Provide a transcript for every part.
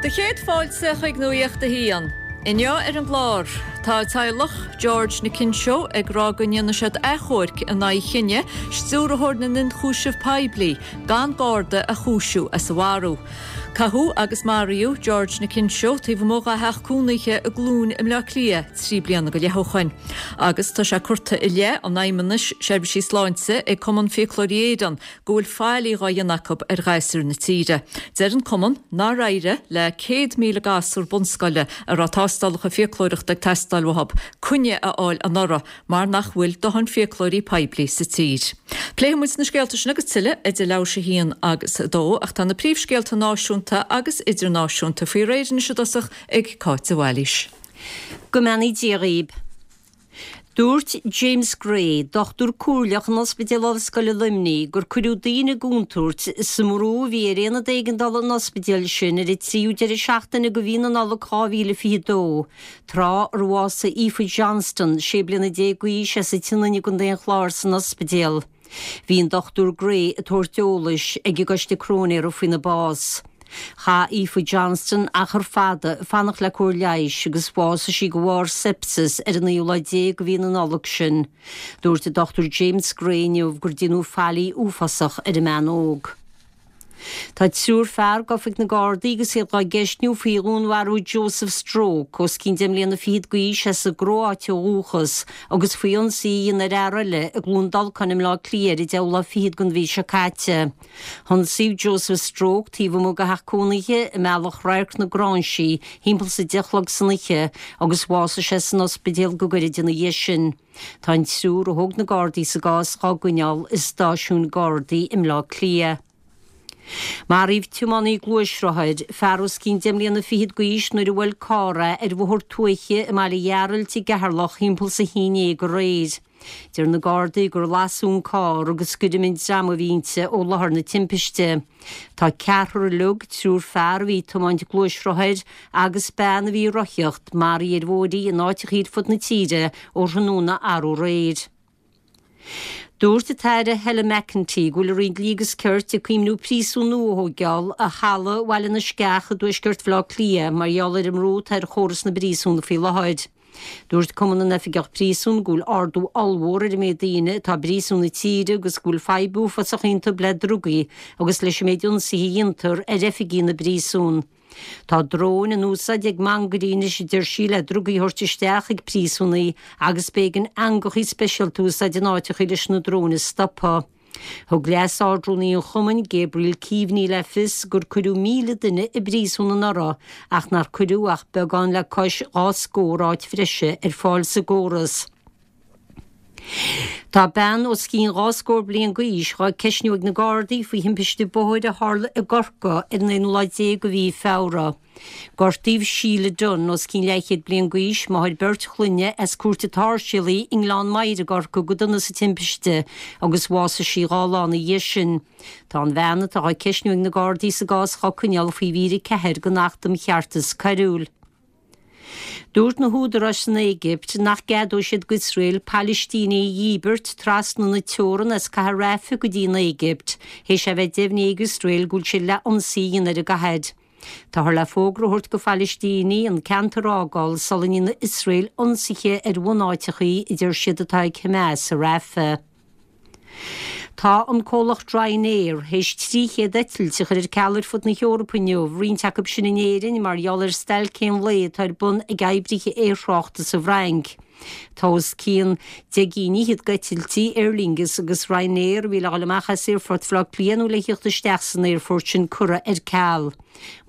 Do chéad fáilte chuig Nuacht a hAon. Inniu ar an gclár, tá teaghlach George Nkencho ag rá go ndéanfaidh siad achomharc in aghaidh chinneadh Stiúrthóir na nIonchúiseamh Poiblí gan Garda a chúisiú as a mharú. Caitheadh agus maraíodh George Nkencho taobh amuigh dá theach cónaithe i gCluain i mBleá Cliath 3 bliana go leith ó shoin agus tá sé curtha i leith an Fheidhmeannais Seirbhísí Sláinte ag Cumann Fiaclóirí Éireann go bhfuil faillí dhá dhéanamh acu ar ghasúir na tíre. Deir an Cumann nár éirigh le 100,000 gasúr bunscoile a raibh tástálacha fiaclóireachta ag teastáil uathu, coinne a fháil anuraidh mar nach bhfuil dóthain fiaclóirí poiblí sa tír. Pléifidh muid na scéalta sin agus tuilleadh idir leathuair théis a haon agus a dó ach tá na príomhscéalta náisiúnta agus idirnáisiúnta faoi réir anois i dtosach ag Cáit de Bhailís. Go mbeannaí Dia dhaoib. Dúirt James Gray, dochtúir comhairleach in Ospidéal Ollscoile Luimnigh, gur cuireadh daoine i gcontúirt sa mbrú a bhí ar aonad éigeandála an ospidéil sin ar an tríú deireadh seachtaine de mhí na Nollag 2022, tráth ar bhásaigh Aoife Johnston, 16 bliana d'aois as an tSionainn i gContae an Chláir san ospidéal. Bhí an Dr Gray ag tabhairt eolais ag an gCoiste Cróinéara faoina bás. Chaith Aoife Johnston achar fada ag fanacht le cóir leighis agus bhásaigh sí de bharr sepsis ar an naoú lá déag de mhí na Nollag sin. Dúirt an Dr James Gray inniu gur déanadh faillí uafásach ar an mbean óg. Tá triúr fear gafa ag na Gardaí agus iad dhá gceistniú faoi dhúnmharú Joseph Stroke, os cionn deich mbliana fichead d'aois, as an gCróáit ó dhúchas, agus faoi ionsaí a dhéanamh ar fhear eile i gCluain Dolcáin i mBleá Cliath ar an deichiú lá fichead den mhí seo caite. Hionsaíodh Joseph Stroke taobh amuigh de theach cónaithe i mBealach Radharc na Gráinsí thimpeall is a 10 a chlog san oíche agus bhásaigh sé san ospidéal go gairid ina dhiaidh sin. Tá an triúr a thóg na Gardaí sa gcás dhá gcoinneáil i stáisiún Gardaí i mBleá Cliath. Maraíodh tiománaí gluaisrothair, fear os cionn deich mbliana fichead d'aois nuair a bhuail carr é ar bhóthar tuaithe i mBaile Ghearailt i gCeatharlach thimpeall is a haon déag aréir. Deir na Gardaí gur lasadh an carr agus gur imigh an dream a bhí inti ó láthair na timpiste. Tá ceathrar uilig, triúr fear a bhí ag tiomáint gluaisrothair agus bean a bhí ag rothaíocht, maraithe ar bhóithrí in áiteachaí ar fud na tíre ó thráthnóna arú aréir. Dúirt an tAire Helen McEntee go bhfuil an Roinn Dlí agus Cirt ag cuimhniú príosún nua a thóigeáil ar thalamh Bhaile na Sceach i dtuaisceart Bhaile Átha Cliath mar gheall ar an mbrú atá ar chóras na bpríosún faoi láthair. Dúirt Cumann na nOifigeach Príosún go bhfuil ardú ollmhór ar an méid daoine atá i bpríosúin na tíre agus go bhfuil fadhb uafásach iontu le drugaí agus leis an méid ionsaithe a dhéantar ar oifigí na bpríosún. Tá dróin in úsáid ag mangairí anois a deir sí le drugaí a thabhairt isteach chuig príosúnaigh agus b'éigean eangachaí speisialta a úsáid in áiteachaí leis na dróin a stopadh. Thug Leas-Ardrúnaí an chumainn, Gabriel Keaveney le fios gur cuireadh 1,000 duine i bpríosún anuraidh ach nár cuireadh ach beagán le cois dhá scór áit bhreise ar fáil sa gcóras. Tá bean os cionn dhá scór bliain d'aois dhá ceistniú ag na Gardaí faoi thimpiste bóthair a tharla i gCorcaigh ar an aonú lá déag de mhí Feabhra. Gortaíodh Sheila Dunne, os cionn leathchéad bliain d'aois, máthair beirt chlainne as Cúirt an tSáirséalaigh i nGleann Maghair i gCorcaigh go dona sa timpiste agus bhásaigh sí dhá lá ina dhiaidh sin. Tá an bhean atá á ceistniú ag na Gardaí sa gcás dhá coinneáil faoi mhír 4 den Acht um Cheartas Coiriúil. Dúirt na húdaráis san Éigipt nach gceadóidh siad d'Iosrael Palaistínigh a dhíbirt trasna na teorann as cathair Rafah go dtí an Éigipt, théis é bheith deimhnithe ag Iosrael go bhfuil siad le ionsaí a dhéanamh ar an gcathair. Táthar le fógra a thabhairt do Phalaistínigh an ceantar a fhágáil sula ndéanfaidh Iosrael ionsaithe ar bhunáiteachaí a deir siad atá ag Hamas i Rafah. Tá an comhlacht Ryanair théis 300 eitilt a chur ar ceal ar fud na hEorpa inniu, roinnt acu sin in Éirinn, mar gheall ar stailc aon lae atá ar bun ag oibrithe aerthráchta sa bhFrainc. Tá os cionn deich gcinn fhichead d'eitiltí Aer Lingus agus Ryanair a bhí le dhul amach as Aerfort Bhaile Átha Cliath nó le thíocht isteach san aerfort sin curtha ar ceal.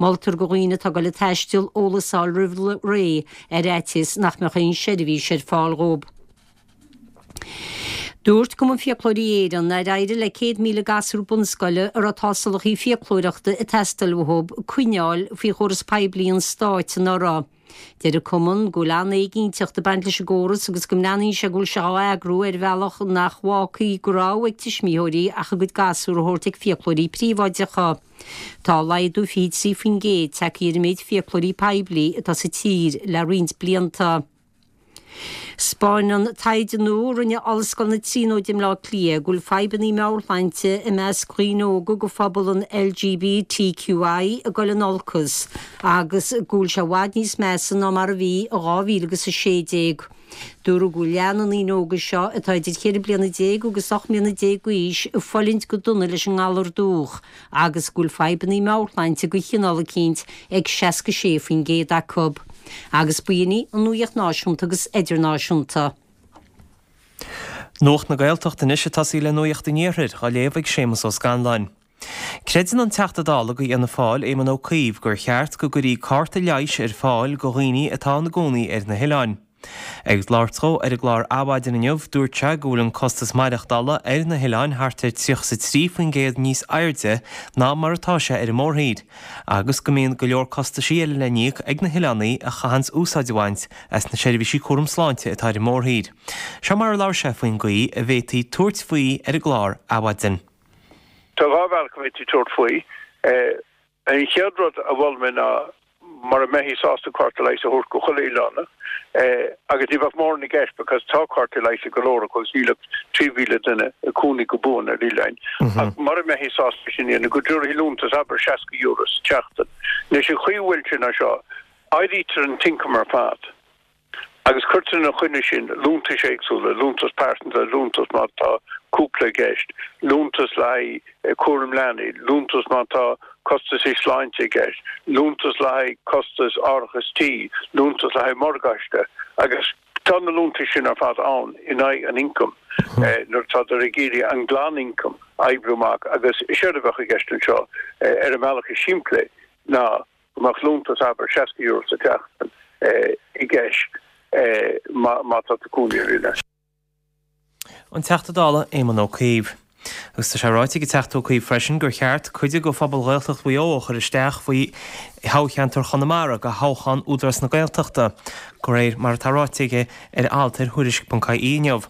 Moltar do dhaoine atá ag dul ag taisteal eolas a fháil roimh ré ar fhaitíos nach mbeadh aon seirbhís ar fáil dhóibh. Dúirt Cumann Fiaclóirí Éireann nár éirigh le 100,000 gasúr bunscoile a raibh tástálacha fiaclóireachta ag teastáil uathu coinne a fháil faoi chóras poiblí an stáit anuraidh. Deir an Cumann go bhfuil an-éiginnteacht ag baint leis an gcóras agus go mbreathnaíonn sé go bhfuil sé á eagrú ar bhealach nach bhfágfaidh de rogha ag tuismitheoirí ach a gcuid gasúr a thabhairt ag fiaclóirí príobháideacha. Tá laghdú 23% tagtha ar an méid fiaclóirí poiblí atá sa tír le roinnt blianta. 'Spáineann taighde nua a rinne Ollscoil na Tríonóide i mBleá Cliath go bhfuil fadhbanna meabhairshláinte i measc dhaoine óga de phobal an LGBTQI ag dul in olcas agus go bhfuil sé i bhfad níos measa ná mar a bhí i 2000 agus 16. Dúradh go bhfuil leath na ndaoine óga seo, atá idir cheithre bliana déag agus 18 mbliana d'aois, ag fulaingt go dona leis an ngalar dubhach agus go bhfuil fadhbanna meabhairshláinte de chineál eicínt ag 66% acu. Agus b'in í an nuaíocht náisiúnta agus idirnáisiúnta. Nuacht na Gaeltachta anois ag tosaí le Nuacht an Iarthair, á léamh ag Séamus Ó Scanláin. Creideann an Teachta Dála do Fhianna Fáil, Éamon Ó Cuív, gur cheart go gcuirí cárta leighis ar fáil do dhaoine atá ina gcónaí ar na hoileáin. Ag labhairt dhó ar an gclár Adhmhaidin inniu, dúirt sé go bhfuil an costas maireachtála ar na hoileáin thart ar 33% níos airde ná mar atá sé ar an mórthír, agus go mbíonn go leor costaisí eile le n-íoc ag na hoileánaigh a chaitheanns úsáid a bhaint as na seirbhísí cúram sláinte atá ar an mórthír. Seo mar a labhair sé faoin gcaoi a bhféadfaí tabhairt faoi ar an gclár Adhmhaidin. Tá dhá bhealach a bhféadfaí tabhairt faoi. An chéad rud a mhol mé ná mura mbeifí sásta cárta leighis a thabhairt go chuile oileánach, agus ní bheadh mórán i gceist because tá cártaí leighis ag go leor acu agus níl ach 3,000 duine ag cónaí go buan ar oileáin, ach mura mbeifí sásta sin a dhéanamh, go dtabharfaí liúntas, abair €60 sa tseachtain. Anois an chaoi a bhfuil sé ná seo, áirítear an t-ioncam ar fad. Agus cuirtear ina choinne sin liúntais éagsúla, liúntas pearsanta, liúntas má tá cúpla i gceist, liúntas le haghaidh cúram leanaí, liúntas má tá costaisí sláinte i gceist, liúntas le haghaidh costas árachas tí, liúntas le haghaidh morgáiste. Agus tá na liúntais sin ar fad ann in aghaidh an ioncaim nuair atádar ag iarraidh an glanioncam a oibriú amach. Agus séard a bheadh i gceist anseo, ar an mbealach is simplí, ná go mbeadh liúntas, abair, €60 sa tseachtain i gceist má tá tú ag cónaí ar oileán. An Teachta Dála Éamon Ó Cuív. Agus tá sé ráite ag an Teachta Ó Cuív freisin gur cheart cuid de phobal Ghaeltacht Mhaigh Eo a chur isteach faoi thoghcheantar Chonamara do thoghchán Údarás na Gaeltachta, de réir mar atá ráite aige ar alt ar Thuairisc.ie inniu.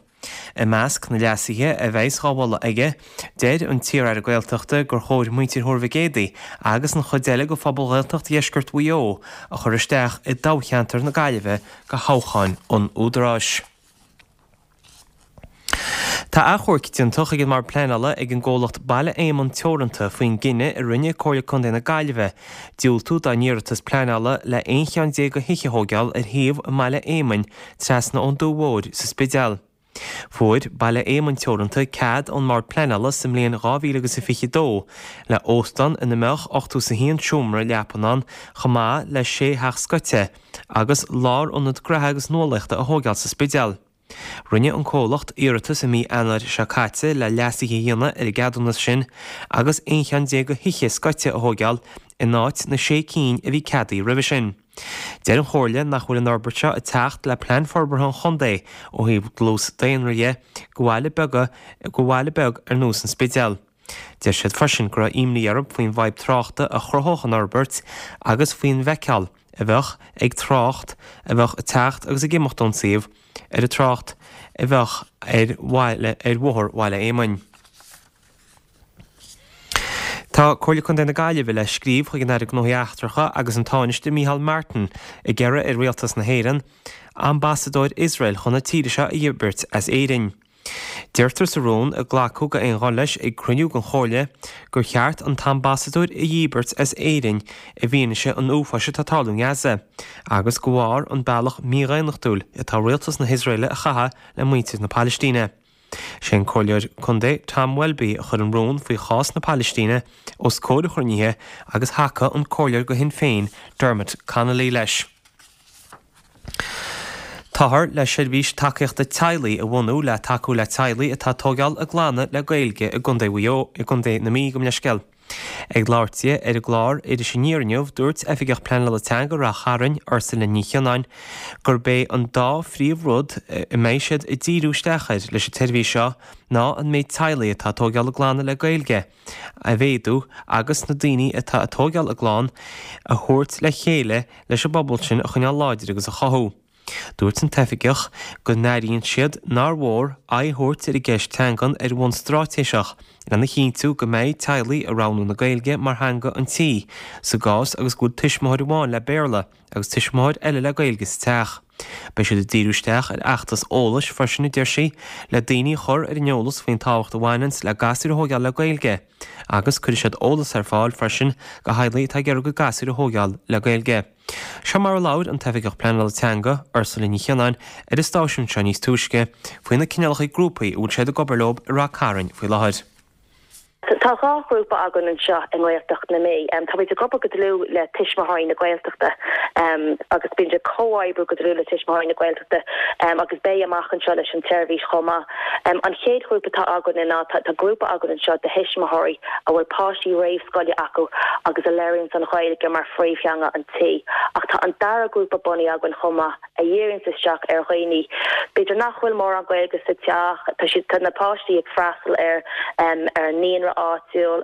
I measc na leasuithe a bheas dhá mholadh aige, deir an t-iar-aire Gaeltachta gur chóir muintir Thuar Mhic Éadaigh agus an chuid eile de phobal Ghaeltacht Dheisceart Mhaigh Eo a chur isteach i dtoghcheantar na Gaillimhe do thoghchán an Údaráis. Tá achomharc déanta chuig an mBord Pleanála ag an gcomhlacht Baile Éamonn Teoranta faoin gcinneadh a rinne Comhairle Contae na Gaillimhe diúltú dá n-iarratas pleanála le 11 cheann de thithe a thóigeáil ar shuíomh i mBaile Éamainn trasna ón Dumha Mhóir sa Spidéal. Fuair Baile Éamainn Teoranta cead ón mBord Pleanála sa mbliain 2022 le óstán ina mbeadh 81 seomra leapan ann chomh maith le sé theach scoite agus lárionad gnaithe agus nuálaíochta a thóigeáil sa Spidéal. Rinne an comhlacht iarratas i mí Eanáir seo caite le leasuithe a dhéanamh ar an gceadúnas sin agus 11 cheann de thithe scoite a thóigeáil in áit na sé cinn a bhí ceadaithe roimhe sin. Deir an Chomhairle nach bhfuil an fhorbairt seo ag teacht le plean forbartha an chontae ó thaobh dlús daonra dhe go bhaile beaga go bhaile beag ar nós an Spidéil. Deir siad freisin go raibh imní orthu faoin bhfadhb tráchta a chruthódh an fhorbairt agus faoin bhfeiceáil a bheadh ag trácht a bheadh ag teacht agus ag imeacht ón suíomh ar an trácht a bheadh ar bhaile ar bhóthar Bhaile Éamainn. Tá Comhairle Contae na Gaillimhe le scríobh chuig an Aire Gnóthaí Eachtracha agus an Tánaiste Micheál Martin ag iarraidh ar Rialtas na hÉireann Ambasadóir Iosrael chun na tíre seo a dhíbirt as Éirinn. Deirtear sa rún, a glacadh d'aon ghuth leis ag cruinniú den Chomhairle, gur cheart an t-ambasadóir a dhíbirt as Éirinn i bhfianaise an uafáis atá ag tarlú i nGaza agus de bharr an bealach mídhaonnachtúil atá Rialtas na hIosraeile a chaitheamh le muintir na Palaistíne. Sé an Comhairleoir Contae Tom Welby a chuir an rún faoi chás na Palaistíne os comhair an chruinnithe agus thacaigh an Comhairleoir do Shinn Féin Dermot Connolly leis. Táthar le seirbhís tacaíochta teaghlaigh a bhunú le tacú le teaghlaigh atá ag tóigeáil a gclanna le Gaeilge i gContae Mhaigh Eo, i gContae na Mí, gabh mo leithscéal. Ag labhairt di ar an gclár Iris Aniar inniu, dúirt Oifigeach Pleanála Teanga Rath Chairn, Ursula Ní Chionáin, gurb é an dá phríomh-rud a mbeidh siad ag díriú isteach air leis an tseirbhís seo ná an méid teaghlaigh atá ag tóigeáil a gclanna le Gaeilge a mhéadú agus na daoine atá ag tóigeáil a gclann a thabhairt le chéile leis an bpobal sin a choinneáil láidir agus a chothú. Dúirt an t-oifigeach go n-airíonn siad nár mhór aghaidh a thabhairt ar an gceist teangan ar bhonn straitéiseach lena chinntiú go mbeidh teaghlaigh ag roghnú na Gaeilge mar theanga an tí sa gcás agus go bhfuil tuismitheoir amháin le Béarla agus tuismitheoir eile le Gaeilge sa teach. Beidh siad ag díriú isteach ar fheachtas eolais freisin, a deir sí, le daoine a chur ar an eolas faoin tábhacht a bhaineanns le gasúir a thóigeáil le Gaeilge. Agus cuirfidh siad eolas ar fáil freisin go theaghlaigh atá ag iarraidh a gcuid gasúir a thóigeáil le Gaeilge. Seo mar a labhair an tOifigeach Pleanála Teanga, Ursula Ní Chionnáin, ar an stáisiún seo níos túisce, faoi na cineálacha grúpaí a bhfuil siad ag obair leo i Rath Cairn faoi láthair. Tá 2 ghrúpa againn anseo i nGaeltacht na Mí. Táimid ag obair go dlúth le Tuismitheoirí na Gaeltachta agus bímid ag comhoibriú go dlúth le Tuismitheoirí na Gaeltachta agus beidh amach anseo leis an tseirbhís chomh maith. An chéad ghrúpa atá againn ná tá grúpa againn anseo de thuismitheoirí a bhfuil páistí réamhscoile acu agus a labhraíonns an Ghaeilge mar phríomhtheanga an tí. Ach tá an dara grúpa bunaithe againn chomh maith a dhíríonns isteach ar dhaoine b'fhéidir nach bhfuil mórán Gaeilge sa teach, tá siad, tá na páistí ag freastal ar ar an naíonra áitiúil,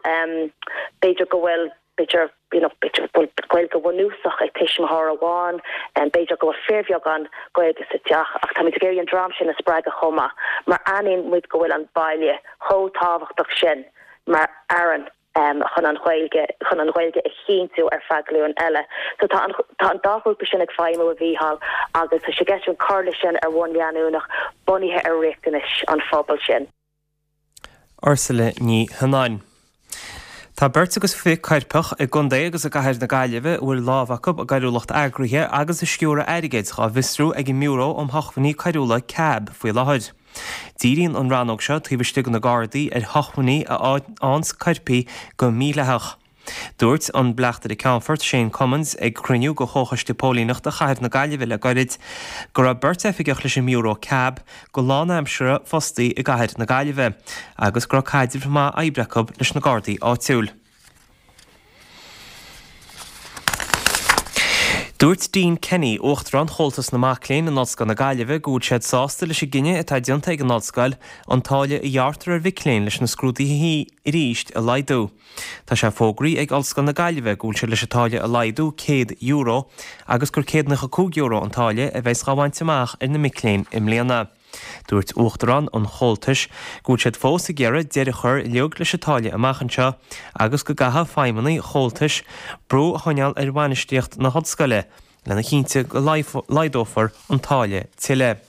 b'fhéidir go bhfuil, b'fhéidir, you know, b'fhéidir go bhfuil Gaeilge bhunúsach ag tuismitheoir amháin, b'fhéidir go bhfuil fíorbheagán Gaeilge sa teach ach táimid ag iarraidh an dream sin a spreagadh chomh maith mar aithníonn muid go bhfuil an baile chomh tábhachtach sin mar fhearann. chun an Ghaeilge, chun an Ghaeilge a chinntiú ar feadh glúin eile. So tá an, tá an dá ghrúpa sin ag feidhmiú, a Mhícheáil, agus tá sé i gceist againn cur leis sin ar bhonn leanúnach, bunaithe ar riachtanais an phobail sin. Ursula Ní Chionnáin. Tá beirt agus 20 coirpeach i gContae agus i gCathair na Gaillimhe a bhfuil lámh acu i gcoiriúlacht eagraithe agus i sciúradh airgid dhá bhfiosrú ag an mBiúró um Shócmhainní Coiriúla, cab, faoi láthair. Díríonn an rannóg seo taobh istigh de na Gardaí ar shócmhainní a fhaigheanns coirpigh go mídhleathach. Dúirt an Bleachtaire Ceannfoirt Shane Cummins ag cruinniú de Chomhchoiste Póilíneachta Chathair na Gaillimhe le gairid go raibh beirt oifigeach leis an mBiúró cab go lánaimseartha fostaí i gCathair na Gaillimhe agus go raibh caidreamh maith oibre acu leis na Gardaí áitiúil. Dúirt Dean Kenny, Uachtarán Chomhaltas na Mac Léinn in Ollscoil na Gaillimhe go bhfuil siad sásta leis an gcinneadh atá déanta ag an Ollscoil an táille a ghearrtar ar mhic léinn leis na scrúduithe arís a laghdú. Tá sé fógraithe ag Ollscoil na Gaillimhe go bhfuil siad leis an táille a laghdú €100 agus gur €195 an táille a bheas dhá bhaint amach ar na mic léinn i mbliana. Dúirt Uachtarán an Chomhaltais go bhfuil siad fós ag iarraidh deireadh a chur uilig leis an táille amach anseo agus go gcaithfidh feidhmeannaigh Chomhaltais brú a choinneáil ar bhainistíocht na hollscoile lena chinntiú go laghdófar an táille tuilleadh.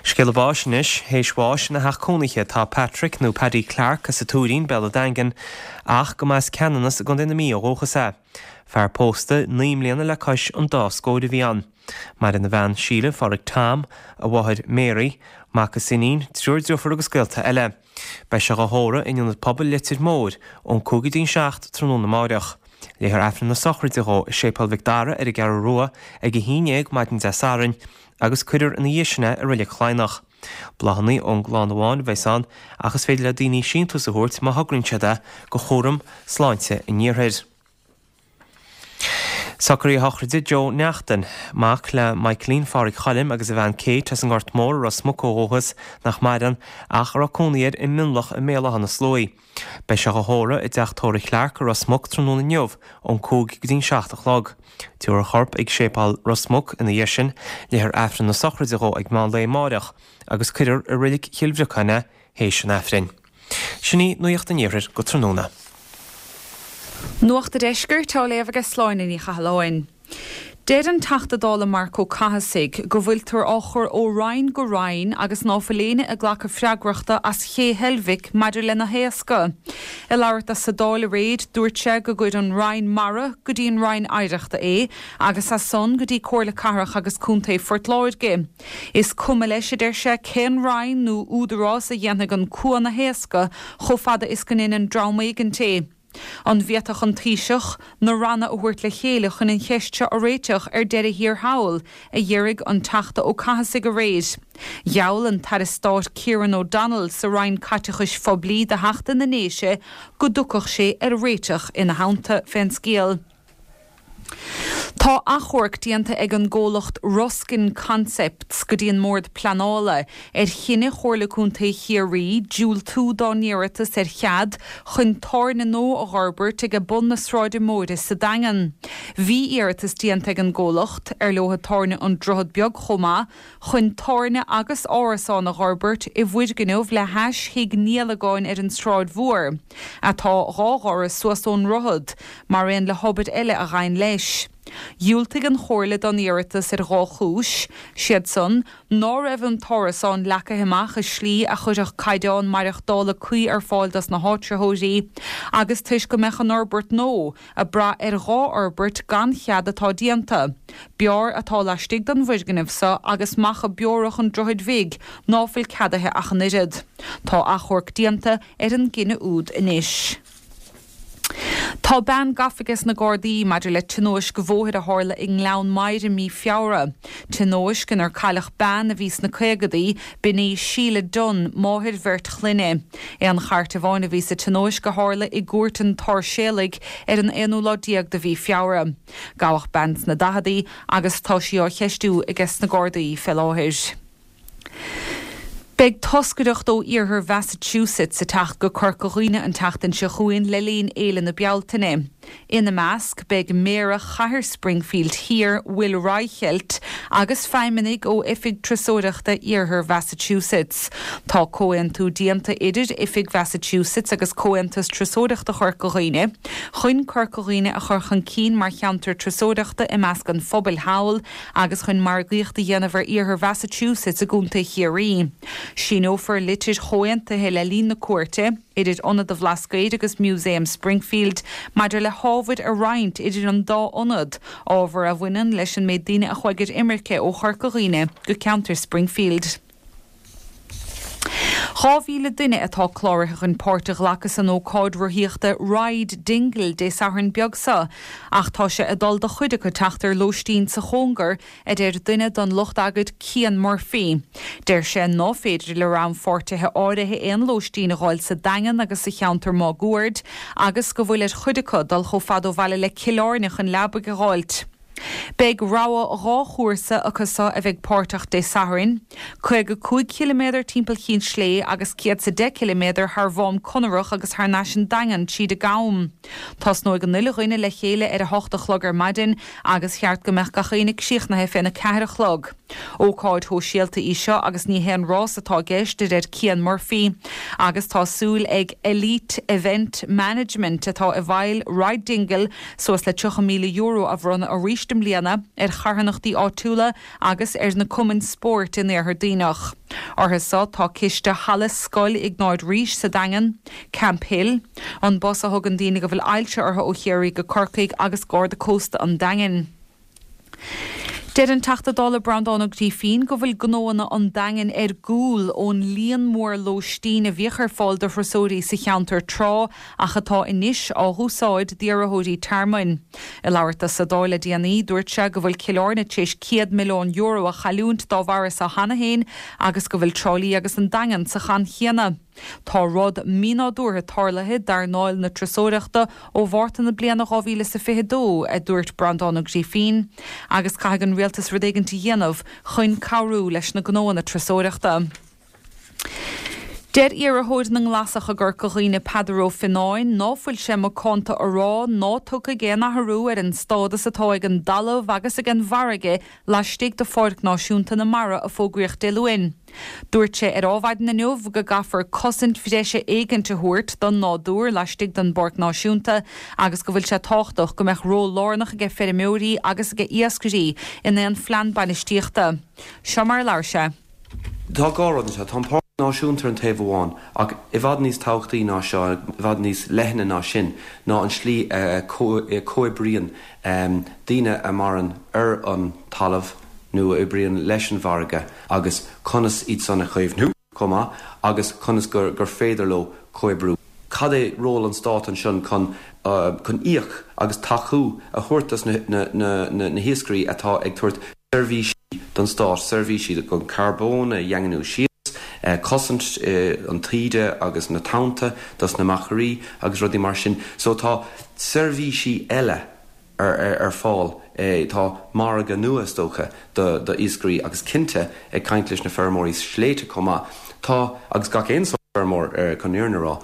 Scéala báis anois. Théis bháis ina theach cónaithe tá Patrick nó Paddy Clarke as an Tuairín, Béal an Daingin, ach go mba as Ceanannas i gContae na Mí ó dhúchas é. Fear pósta 9 mbliana le cois an dá scóir a bhí ann. Maireann a bhean Síle, Phádraig Tom, a mháthair Mary, mac is iníon, triúr driofúr agus gaolta eile. Beidh sé dhá thórramh in Ionad Pobail Leitir Móir ón 5 go dtí'n 7 tráthnóna amáireach. Léifear Aifreann na sochraide dhó i Séipéal Mhic Dara ar an gCeathrú Rua ag 11 maidin Dé Sathairn agus cuirfear ina dhiaidh sin é i Reilig Chladhnach. Bláthanna ón gclann amháin a bheas ann ach is féidir le daoine síntiús a thabhairt má thograíonn siad é go Chúram Sláinte an Iarthair. Socruithe sochraide Joe Neachtain, mac le Michaelín Phádraig Choilm agus a bhean Kate as an nGort Mór i Ros Muc ó dhúchas, nach maireann, ach a raibh cónaí air i Mionlach i mBéal Átha na Sluaighe. Beidh sé dhá thórramh i dteach tórraimh Clarke i Ros Muc tráthnóna inniu ón 5 go dtí'n 7 a chlog. Tabharfar a chorp ag Séipéal Ros Muc ina dhiaidh sin, léifear Aifreann na sochraide dhó ag meán lae amáireach agus cuirfear i Reilig Chill Bhriocáin é théis an Aifrinn. Sin í Nuacht an Iarthair go tráthnóna. Nuacht a' Deiscirt á léamh aige Sláine Ní Chathalláin. Deir an Teachta Dála Marc Ó Cathasaigh go bhfuiltear á chur ó Roinn go Roinn agus ná fuil éinne ag glacadh freagrachta as Ché Heilbhic maidir lena haoscadh. Ag labhairt dó sa Dáil aréir dúirt sé go gcuir an Roinn Mara go dtí an Roinn Oidhreachta é agus as san go dtí Comhairle Cathrach agus Contae Phort Láirge. Is cuma leis, a deir sé, cén roinn nó údarás a dhéanfaidh an cuan a thaoscadh chomh fada is go ndeineann dream éigint é. An bhféadfadh an Taoiseach na ranna a thabhairt le chéile chun an cheist seo a réiteach ar deireadh thiar thall, a d'fhiafraigh an Teachta Ó Cathasaigh aréir. Gheall an tAire Stáit Kieran O'Donnell sa Roinn Caiteachais Phoiblí do Theachta na nDéise go dtiocfadh sé ar réiteach ina theannta fén scéal. Tá achomharc déanta ag an gcomhlacht Ruskin Concepts go dtí an mBord Pleanála ar chinneadh Chomhairle Contae Chiarraí diúltú dá n-iarratas ar chead chun tábhairne nua a dh'fhorbairt ag bun na Sráide Móire sa Daingean. Bhí iarratas déanta ag an gcomhlacht, ar leo tábhairne An Droichead Beag chomh maith, chun tábhairne agus árasán a dh'fhorbairt i bhfoirgneamh le hais Thigh Niallagáin ar an tSráid Mhór, atá dhá dhoras suas ón ndroichead, mar aon le hobair eile a ghabhann leis. Dhiúltaigh an Chomhairle don iarratas ar dhá chúis, siad san, ná raibh an t-árasán leagtha amach i slí a chuirfeadh caighdeán maireachtála cuí ar fáil dos na háitritheoirí, agus toisc go mbeadh an fhorbairt nua ag brath ar dhá fhorbairt gan chead atá déanta, beár atá laistigh den bhfoirgneamh so agus macha beorach an Droichid Bhig ná fuil ceadaithe ach an oiread. Tá achomharc déanta ar an gcinneadh úd anois. Tá bean gafa ages na Gardaí maidir le tionóisc bhóthair a tharla i nGleann Maghair i mí Feabhra. Tionóisc inar cailleadh bean a bhí sna caogadaí, b'in í Sheila Dunne, máthair bheirt chlainne. Aon chairt amháin a bhí sa tionóisc a tharla i gCúirt an tSáirséalaigh ar an aonú lá déag de mhí Feabhra. Gabhadh bean sna daicheadaí agus tá sí á cheistiú ages na Gardaí fé láthair. Beidh toscaireacht ó iarthar Mhassachusetts ag teacht go Corca Dhuibhne an tseachtain seo chugainn le linn Fhéile na Bealtaine. Ina measc beidh Méara Chathair Springfield Thiar, Will Reichelt, agus feidhmeannaigh ó Oifig Turasóireachta Iarthar Mhassachusetts. Tá comhaontú déanta idir Oifig Mhassachusetts agus Comhaontas Turasóireachta Chorca Dhuibhne chun Corca Dhuibhne a chur chun cinn mar cheantar turasóireachta i measc an phobail thall agus chun margaíocht a dhéanamh ar iarthar Mhassachusetts i gContae Chiarraí. Síneofar litir chomhaontaithe le linn na cuairte, idir Ionad an Bhlascaoid agus Museum Springfield, maidir le hábhair a roinnt idir an dá ionad, ábhar a bhaineann leis an méid daoine a chuaigh ar imirce ó Chorca Dhuibhne go ceantar Springfield. 2,000 duine atá cláraithe chun páirt a ghlacadh san ócáid rothaíochta Ride Dingle Dé Sathairn beag seo ach tá sé ag dul do chuid acu teacht ar lóistín sa chóngar, a deir duine den lucht eagair Cian Murphy. Deir sé ná féidir le rannpháirtithe áirithe aon lóistín a dh'fháil sa Daingean agus sa cheantar máguaird agus go bhfuil ar chuid acu dul chomh fada ó bhaile le Cill Airne chun leabaidh a dh'fháilt. Beidh rogha 2 chúrsa acu so a bheidh páirteach Dé Sathairn, 55 chiliméadar timpeall Chinn Slé agus 110 ciliméadar thar Mhám Conarach agus thar n-ais an Daingean tríd an gCam. Tosnóidh an uile dhuine le chéile ar a hocht a chlog ar maidin agus cheart go mbeadh gach éinne críochnaithe féna ceathair a chlog. Ócáid shóisialta í seo agus ní haon rás atá i gceist, a deir Cian Murphy, agus tá súil ag Elite Event Management atá i bhfeighil Ride Dingle suas le €30,000 a bhronnadh arís i mbliana ar charthanachtaí áitiúla agus ar na cumainn spóirt in Iarthar Duibhneach. Orthu so tá ciste Halla Scoil Iognáid Rís sa Daingean, Camphill, an bus a thugann daoine go bhfuil ailse orthu ó Chiarraí go Corcaigh agus Garda Cósta an Daingin. Deir an Teachta Dála Breandán Ó Grífín go bhfuil gnóanna an Daingin ar gcúl ón líon mór lóistín a bhíodh ar fáil do thurasóirí sa cheantar tráth ach atá anois á dh'úsáid d'iarrthóirí tearmainn. Ag labhairt dó sa Dáil le déanaí, dúirt sé go bhfuil Cill Airne tar éis €100 milliún a chailliúint dá bharra so cheana féin agus go bhfuil Trá Lí agus an Daingean sa chaint chéanna. Tá rud mínádúrtha tarlaithe d'earnáil na turasóireachta ó Mhárta na bliana 2022, a dúirt Breandán Ó Grífín, agus caithfidh an rialtas rud éigint a dhéanamh chun cabhrú leis na gnóanna turasóireachta. Deir iarrthóir na nGlasach i gCorca Dhuibhne Peadar Ó Fionnáin ná fuil sé macánta a rá ná tiocfaidh aon athrú ar an stádas atá ag an dtalamh agus ag an bhfarraige laistigh de Pháirc Náisiúnta na Mara a fógraíodh Dé Luain. Dúirt sé ar Adhmhaidin inniu go gcaithfear cosaint bhreise éigint a thabhairt don nádúr laistigh den bPáirc Náisiúnta agus go bhfuil sé tábhachtach go mbeadh ról lárnach aige feirmeoirí agus aige iascairí in aon phlean bainistíochta. Seo mar a labhair sé. Tá dhá rud anseo. Tá an Páirc Náisiúnta ar an taobh amháin, ach i bhfad níos tábhachtaí ná seo, i bhfad níos leithne ná sin, ná an slí a comhoibríonn daoine a maireann ar an talamh nó a oibríonn leis an bhfarraige agus conas iad san a chaomhnú chomh maith agus conas gur féidir leo comhoibriú. Cad é ról an Stáit ansin chun chun íoc agus tacú a thabhairt dos na hiascairí atá ag tabhairt seirbhísí don Stát, seirbhísí chun carbón a dhaingniú síos, cosaint an taoide agus na tonnta dos na machairí agus rudaí mar sin. So tá seirbhísí eile ar fáil. Tá margadh nua, is dócha, do iascairí agus cinnte, ag caint leis na feirmeoirí sléibhte chomh maith, tá, agus gach aon sórt feirmeoir chun an fhírinne a rá,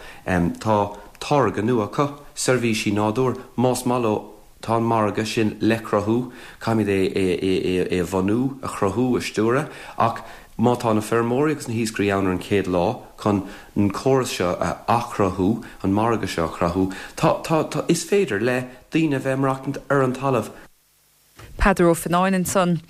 tá táirge nua acu, seirbhísí nádúir, más maith leo, tá an margadh sin le cruthú, caithfimid é a bhunú, a chruthú, a stiúradh, ach má tá na feirmeoirí agus na hiascairí ann ar an chéad lá chun an córas seo a athchruthú, an margadh seo a chruthú, tá, tá, tá, is féidir le daoine a bheith ag maireachtaint ar an talamh. Peadar Ó Fionnáin ansan.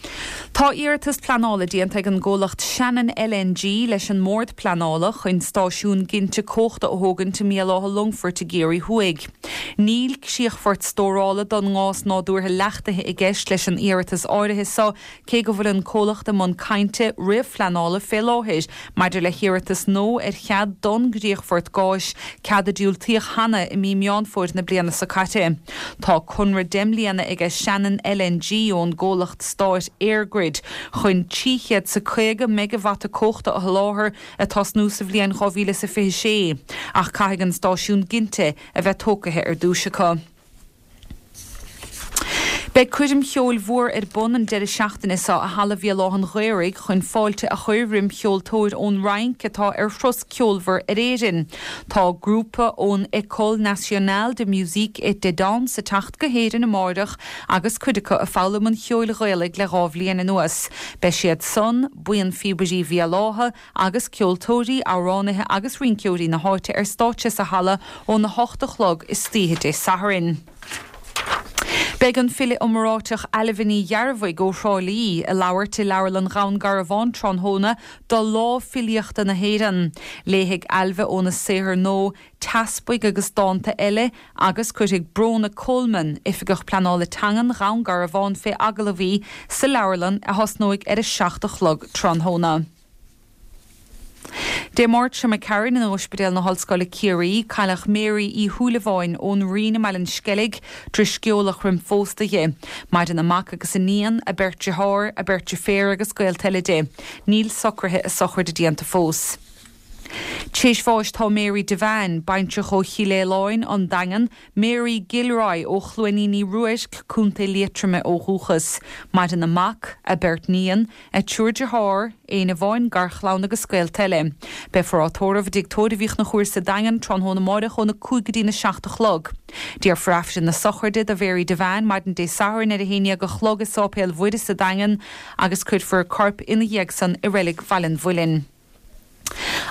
Tá iarratas pleanála déanta ag an gcomhlacht Shannon LNG leis an mBord Pleanála chun stáisiún ginte cumhachta a thógaint i mBéal Átha Longfoirt i gCiarraí Thuaidh. Níl críochfort stórála don ngás nádúrtha leachtaithe i gceist leis an iarratas áirithe so cé go bhfuil an comhlacht i mbun cainte réamhphleanála fé láthair maidir le hiarratas nua ar chead don gcríochfort gáis, cead a diúltaíodh cheana i mí Meán Fómhair na bliana seo caite. Tá conradh deich mbliana aige Shannon LNG ón gcomhlacht stáit EirGrid chun 350 meigeavata cumhachta a sholáthar ag tosnú sa bhliain 2026, ach caithfidh an stáisiún ginte a bheith tógtha ar dtús acu. Beidh coirm cheoil mhór ar bun an deireadh seachtaine seo i Halla Bhéal Átha an Ghaorthaidh chun fáilte a chur roim cheoltóir ón Fhrainc atá ar thuras ceolmhar ar Éirinn. Tá grúpa ón École Nationale de Musique et de Danse ag teacht go hÉirinn amáireach agus cuid acu ag foghlaim an cheoil Ghaelaigh le 2 bhliain anuas. Beidh siad san, Buíon Phíobairí Bhéal Átha, agus ceoltóirí, amhránaithe agus rinceoirí na háite ar stáitse sa halla óna hocht a chlog istoíche Dé Sathairn. Beidh an file iomráiteach Ailbhe Ní Ghearbhuigh ó Thrá Lí ag labhairt i Leabharlann Dhún Garbhán tráthnóna do Lá Filíochta na hÉireann. Léifidh Ailbhe óna saothar nua Teaspaigh agus Dánta Eile agus cuirfidh Bróna Coleman, Oifigeach Pleanála Teangan Dhún Garbhán fé agallamh í sa leabharlann a thosnóidh ar a 7 a chlog tráthnóna. Dé Máirt seo imigh tharainn in Ospidéal na hOllscoile Ciarraí, cailleadh Mary Uí Shúilleabháin ón Rinn i mBaile an Sceilg, Drisceolach roim phósta di. Maireann a mac agus a níon, a beirt dearthár, a beirt deirféar agus gaolta eile di. Níl socruithe a sochraide déanta fós. T'éis bháis tá Mary Devane, baintreach ó Chill Fhaoláin, An Daingean, Mary Gilroy ó Chluainín Uí Ruairc, Co. Liatroma ó dhúchas. Maireann a mac, a beirt níon, a triúr dearthár, éinne amháin garchlann agus gaolta eile. Beifear á tórramh i dTigh Tórraimh Uí Chonchúir sa Daingean tráthnóna amáireach óna 5 go dtína 7 a chlog. Déarfar Aifreann na sochraide do Mhary Devane maidin Dé Sathairn ar a haon dhéag a chlog i Sáipéal Mhuire sa Daingean agus cuirfear a corp ina dhiaidh san i Reilig Bhaile an Mhuilinn.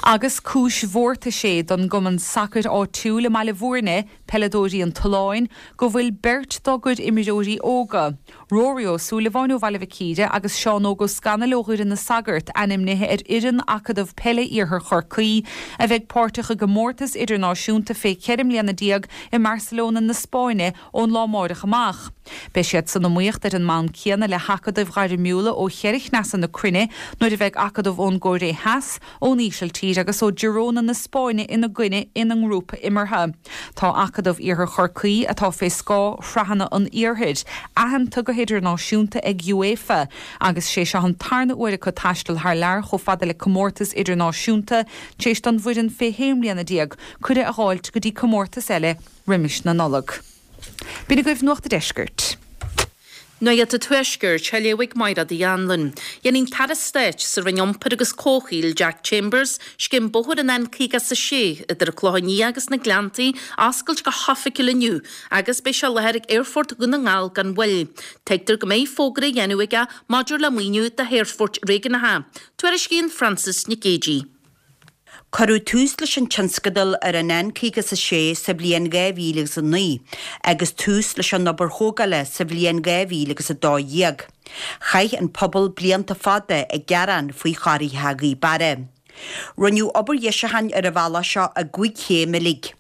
Agus cúis mhórtais é don gcumann sacair áitiúil i mBaile Bhúirne, Peileadóirí an Tolláin, go bhfuil beirt dá gcuid imreoirí óga, Rory Ó Súilleabháin ó Bhaile Mhic Íre agus Seán Óg Ó Scanaill ó Dhoire na Sagart, ainmnithe ar fhoireann Acadamh Peile Iarthar Chorcaí a bheidh páirteach i gcomórtas idirnáisiúnta fé 14 mbliana i mBarcelona na Spáinne ón lá amáireach amach. Beidh siad san iomaíocht ar an mbonn céanna le hacadaimh ghairmiúla ó cheithre chneasa na cruinne nuair a bheidh acadaimh ón gCóiré Theas, ón Ísiltír agus ó Girona na Spáinne ina gcoinne ina ngrúpa imeartha. Tá Acadamh Iarthar Chorcaí, atá fé scáth Shraitheanna an Iarthair, aitheanta go hidirnáisiúnta ag UEFA agus sé seo an tarna uair acu taisteal thar lear chomh fada le comórtas idirnáisiúnta tar éis don bhfoireann fé shé mbliana déag cuireadh a dh'fháilt go dtí comórtas eile roimis na Nollag. B'in agaibh Nuacht a' Deiscirt. Nuacht a' Tuaiscirt, á léamh ag Mairéad Uí Anluain. Déanfaidh an tAire Stáit sa Roinn Iompair agus Comhshaoil, Jack Chambers, scéim bóthair an N56 idir an Clochán Liath agus na Gleanntaí a oscailt go hoifigiúil inniu agus beidh sé i láthair ag Aerfort Dhún na nGall gan mhoill. Tuigtear go mbeidh fógra á dhéanamh aige maidir le maoiniú do shaorphoirt réigiúnacha. Tuairiscíonn Frances Nic Géadaigh. Cuireadh tús leis an tionscadal ar an N56 sa bhliain 2009 agus tús leis an obair thógála sa bhliain 2012. Chaith an pobal blianta fada ag gearán faoi chorraithe Ghaoth Beara. Rinneadh obair dheisiúcháin ar an bhealach seo i gcúig chéim uilig,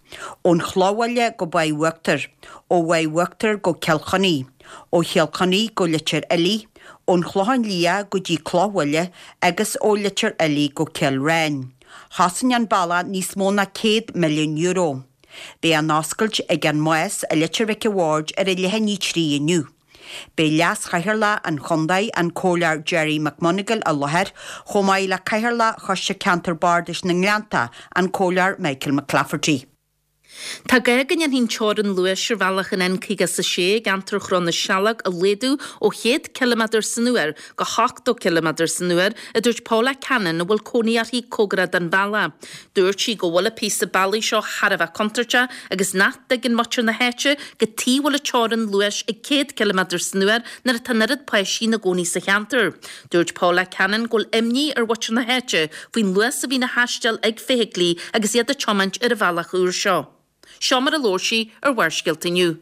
ón Chlochbhaile go Maigh Uachtair, ó Mhaigh Uachtair go Cill Chainnigh, ó Chill Chainnigh go Leitir Fhiligh, ón Chlochán Liath go dtí Clochbhaile agus ó Leitir Fhiligh go Cill Ráin. Chosain an bealach níos mó ná €100 milliún. Beidh an oscailt ag an Más i Leitir Mhic a' Bhaird ar a leath i ndiaidh 3 inniu. Beidh Leas-Chathaoirleach an Chontae, an Comhairleoir Gerry McMonagall i láthair, chomh maith le Cathaoirleach Choiste Ceantair Bardais na nGleannta, an Comhairleoir Michael McClafferty. Tá gá go ndéanfaí an teorainn luais ar bhealach an N56 i gceantar Chró na Sealg a laghdú ó 100 ciliméadar san uair go 80 ciliméadar san uair, a dúirt Paula Cannon a bhfuil cónaí uirthi cóngarach don bhealach. Dúirt sí go bhfuil an píosa bealaigh seo thar a bheith contúirteach agus nach dtuigeann muintir na háite cad chuige a bhfuil an teorainn luais ag 100 ciliméadar san uair nuair atá an oiread páistí ina gcónaí sa cheantar. Dúirt Paula Cannon go bhfuil imní ar mhuintir na háite faoin luas a bhíonn á thaisteal ag feithiclí agus iad ag tiomáint ar an bhealach úr seo. Seo mar a labhair sí ar Bharrscéalta inniu.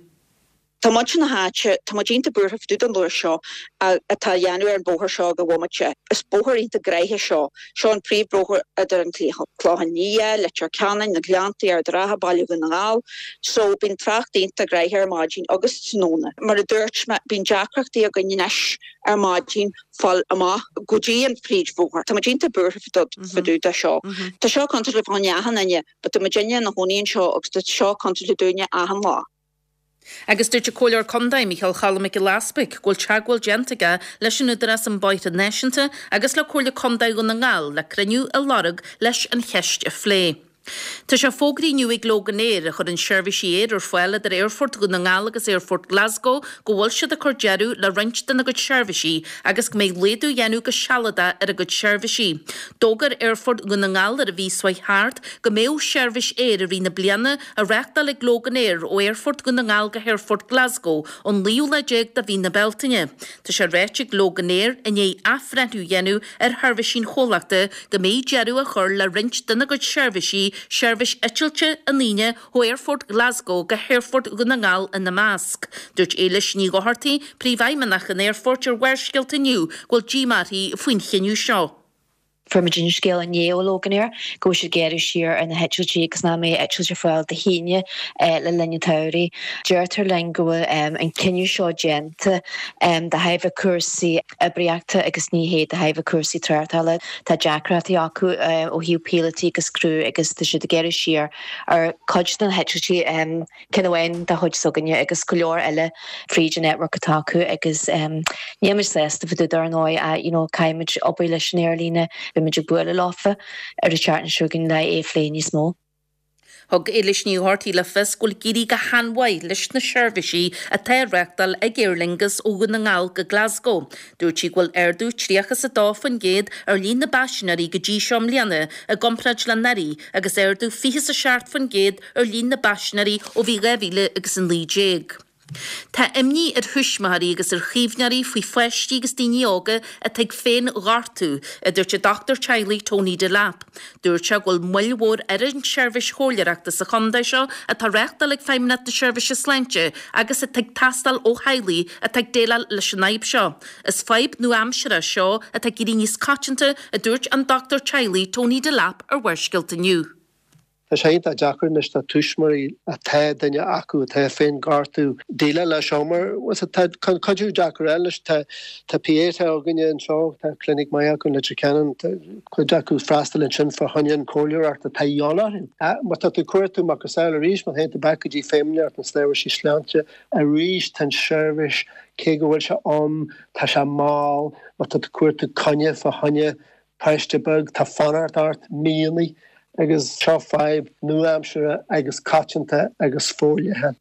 Tá muintir na háite, tá muid iontach buartha fá dtaobh den luas seo atá á dhéanamh ar an bhóthar seo ag an bhomaite. Is bóthar iontach gnoitheach seo. Seo an príomhbhóthar idir an Clochán Liath, Leitir Ceanainn, na Gleanntaí, Ard an Rátha, Baile Dhún na nGall. So bíonn trácht iontach gnoitheach ar maidin agus tráthnóna. Mar a dúirt mé, bíonn deacrachtaí againn anois ar maidin fáil amach go dtí an príomhbhóthar. Tá muid iontach buartha fá dtaobh de seo. Tá seo contúirteach fá choinne achan duine but tá muidinne ina chónaí anseo agus tá seo contúirteach dúinne achan lá. Agus dúirt an Comhairleoir Contae, Micheál Choilm Mac Giolla Easpaig, go bhfuil teagmháil déanta aige leis an Údarás um Bóithre Náisiúnta agus le Comhairle Contae Dhún na nGall le cruinniú a lorg leis an cheist a phlé. Tá sé fógraithe inniu ag Loganair, a chuireann seirbhísí aeir ar fáil idir Aerfort Dhún na nGall agus Aerfort Glasgow, go bhfuil siad ag cur deireadh le roinnt dena gcuid seirbhísí agus go mbeidh laghdú á dhéanamh go sealadach ar a gcuid seirbhísí. D'fhógair Aerfort Dhún na nGall ar an mhí seo thart go mbeadh seirbhís aeir i rith na bliana á reáchtáil ag Loganair ó Aerfort Dhún na nGall go hAerfort Glasgow ón naoú lá déag de mhí na Bealtaine. Tá sé ráite ag Loganair, i ndiaidh athbhreithniú a dhéanamh ar sheirbhísí an chomhlachta, go mbeidh deireadh á chur le roinnt dena gcuid seirbhísí, seirbhís eitilte an Aoine ó Aerfort Glasgow go hAerfort Dhún na nGall ina measc. Dúirt Éilis Ní Dhochartaigh, Príomhfheidhmeannach an Aerfoirt ar Bharrscéalta inniu go bhfuil díomá uirthi faoin chinneadh seo. Fuair muid an scéal inné ó Loganair go bhfuil siad ag gearradh siar ar na heitiltí agus nach mbeidh eitilt ar fáil Dé hAoine le linn an tsamhraidh. Deirtear linn go bhfuil an cinneadh seo déanta de thairbhe cúrsaí oibríochta agus ní hé de thairbhe cúrsaí tráchtála. Tá deacrachtaí acu ó thaobh píolótaí agus criú agus tá siad ag gearradh siar ar chuid de na heitiltí. Ceann amháin de chuid s'againne agus go leor eile fríd an network atá acu agus níl muid sásta fá dtaobh de ar ndóigh ach you know caithfidh muid obair leis an aerlíne, beidh muid ag bualadh leofa ar an tseachtain seo chugainn le é a phlé níos mó. Thug Éilis Ní Dhochartaigh le fios go bhfuil ag éirí go han-mhaith leis na seirbhísí atá á reáchtáil ag Aer Lingus ó Dhún na nGall go Glasgow. Dúirt sí go bhfuil ardú 32% ar líon na bpaisinéirí go dtí seo i mbliana i gcomparáid le anuraidh agus ardú 27% ar líon na bpaisinéirí ó bhí 2019. Tá imní ar thuismitheoirí agus ar chaomhnóirí faoi pháistí agus daoine óga atá ag féin-ghortú, a dúirt an dochtúir teaghlaigh Tony Delap. Dúirt sé go bhfuil moill mhór ar an tseirbhís chomhairleoireachta sa chontae seo atá á reáchtáil ag Feidhmeannacht na Seirbhíse Sláinte agus atá ag teastáil ó theaghlaigh atá ag déileáil leis an fhadhb seo. Is fadhb nua-aimseartha seo atá ag éirí níos coitianta, a dúirt an dochtúir teaghlaigh Tony Delap ar Bharrscéalta inniu. Tá sé iontach deacair anois do tuismitheoirí atá duine acu atá ag féin-ghortú déileáil leis seo mar tá cuidiú deacair eile anois. Tá tá Pieta againne anseo, tá clinic maith acu in Leitir Ceanainn, tá cuid acu ag freastal ansin fá choinne an chomhairleoireacht atá de dhíobháil orthu. Má tá tú ag cuartú macasamhail arís, má théann tú back go dtí Feidhmeannacht na Seirbhísí Sláinte arís tá an seirbhís cé go bhfuil sé ann tá sé mall, má tá tú ag cuartú coinne fá choinne Páiste beag, tá fanacht ort míonna agus seo fadhb nua-aimseartha agus coitianta agus forleathan.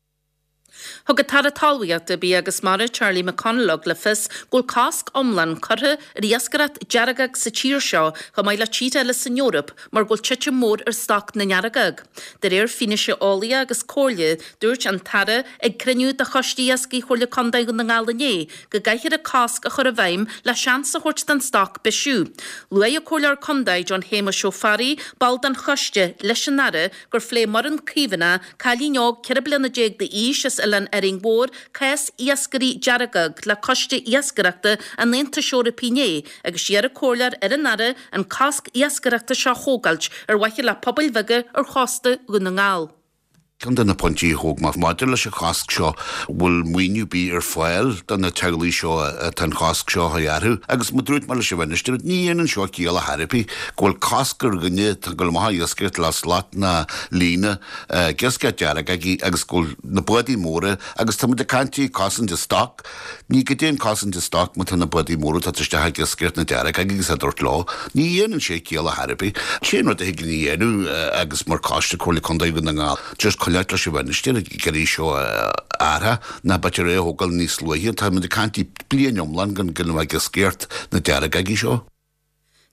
Thug an tAire Talmhaíochta, Bia agus Mara, Charlie McConalogue le fios go bhfuil cosc iomlán curtha ar iascaireacht deargóg sa tír seo chomh maith le tíortha eile san Eoraip mar go bhfuil titim mhór ar stoc na ndeargóg. De réir fianaise eolaíoch agus comhairle, dúirt an tAire ag cruinniú de Choiste Iascaigh Chomhairle Contae Dhún na nGall inné go gcaithfear an cosc a chur i bhfeidhm le seans a thabhairt don stoc bisiú. Luaigh an Comhairleoir Contae John Shéamuis Ó Fearraigh, ball den choiste, leis an Aire gur phléigh Muireann Caomhánach, cailín óg 14 bliana d'aois as Oileán Árainn Mhór, cás iascairí deargóg le Coiste Iascaireachta an Aontais Eorpaigh inné agus d'iarr an Comhairleoir ar an Aire an cosc iascaireachta seo a thógáilt ar mhaithe le pobail bheaga ar chósta Dhún na nGall. Ceann de na pointí a thóg mé maidir leis an chosc seo, bhfuil maoiniú ar bith ar fáil do na teaghlaigh seo atá an chosc seo a chur orthu? Agus mar dúirt mé leis an Mhinistir, ní dhéanann seo ciall ar chor ar bith go bhfuil cosc ar dhuine atá ag dul amach ag iascaireacht le slat ná líne ag iascaireacht deargógaí agus go bhfuil na bádaí móra, agus tá muid ag caint cosaint an stoc, Ní goidé an cosaint an stoc má tá na bádaí móra ag teacht isteach ag iascaireacht na deargógaí agus á dtabhairt leo. Ní dhéanann sé ciall ar chor ar bith. Sé an rud a thig linn a dhéanamh agus mar Choiste Comhairle Contae Dhún na nGall just coinneáilt leis an Mhinistir ag iarraidh seo a athrú ná b'fhéidir é a thógáil níos luaithe. Tá muid ag caint bliain iomlán gan gan a bheith ag iascaireacht na deargógaí seo.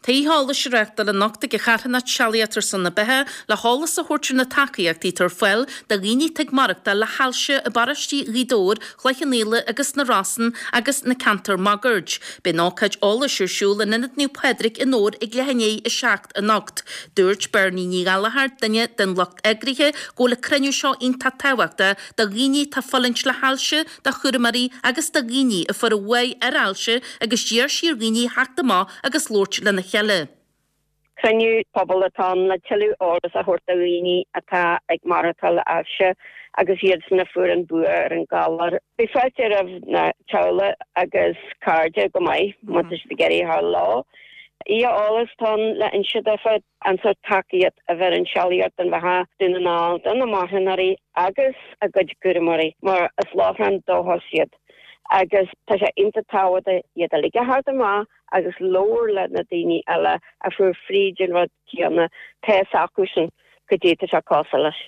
Tá oíche eolais á reáchtáil anocht ag an charthanacht Sealaíocht ar son na Beatha le heolas a thabhairt ar na tacaíochtaí atá ar fáil do dhaoine atá ag maireachtáil le hailse i bparóistí Ghaoth Dobhair, Chloich Cheann Fhaola agus na Rosann agus na ceantair máguaird. Beidh an ócáid eolais ar siúl in Ionad Naomh Pádraig i nDobhar ag leath i ndiaidh 7 anocht. Dúirt Bernie Ní Ghallchóir, duine den lucht eagraithe, go bhfuil an cruinniú seo iontach tábhachtach do dhaoine atá ag fulaingt le hailse, do chúramóirí agus do dhaoine a fuair a bhuaidh ar ailse agus d'iarr sí ar dhaoine theacht amach agus labhairt lena chéile. Cruinniú pobail atá ann le tuilleadh eolas a thabhairt do dhaoine atá ag maireachtáil le ailse agus iadsan a fuair an bua ar an galar. Beidh fáilte roimh na teaghlaigh agus cairde go maith má tá siad ag iarraidh a ghabháil leo. Oíche eolais atá ann le inse daofa an sórt tacaíocht a bheireann Sealaíocht don Bheatha Dún na nGall do na marthanóirí agus a gcuid gcúramóirí mar is lóchrann dóchais iad agus tá sé iontach tábhachtach iad uilig a theacht amach agus labhair le na daoine eile a fuair fríd an rud céanna, tá fhios acusan goidé tá sé cosúil leis.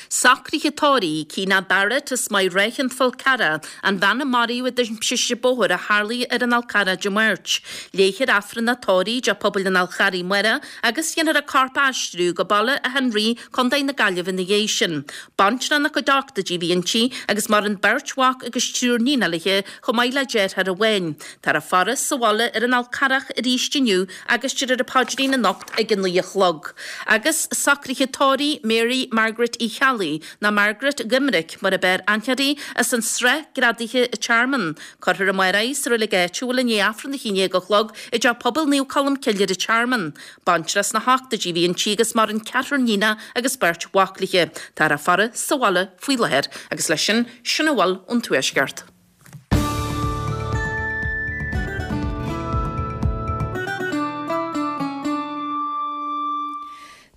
Socruithe tórraimh Keena Barrett as Maigh Ráithe an Fhál Carrach, an bhean a maraíodh i dtimpiste bóthair a tharlaigh ar an Fhál Carrach Dé Máirt. Léifear Aifreann an tórraimh i dTeach Pobail an Fháil Charraigh amárach agus dhéanfar a corp a aistriú go Baile Átha an Rí, Contae na Gaillimhe ina dhiaidh sin. Baintreach ina cuid ochtóidí a bhí inti agus maireann beirt mhac agus triúr níon léi chomh maith le deartháir amháin. Táthar á faire sa bhaile ar an Fhál Carrach arís inniu agus déarfar an paidrín anocht ag 9 a chlog. Agus socruithe tórraimh Mary Margaret Uí Cheallaigh, nó Margaret Dhoiminic mar ab fhearr aithne uirthi, as an Srath Greadaithe an Tearmann. Cuirfear amárach í sa reilig áitiúil i ndiaidh Aifreann a 11 a chlog i dTeach Pobail Naomh Colm Cille ar an Tearmann. Baintreach sna hochtóidí a bhí inti agus maireann ceathrar níonach agus beirt mhac léi. Táthar á faire sa bhaile faoi láthair. Agus leis sin, sin a bhfuil ón Tuaisceart.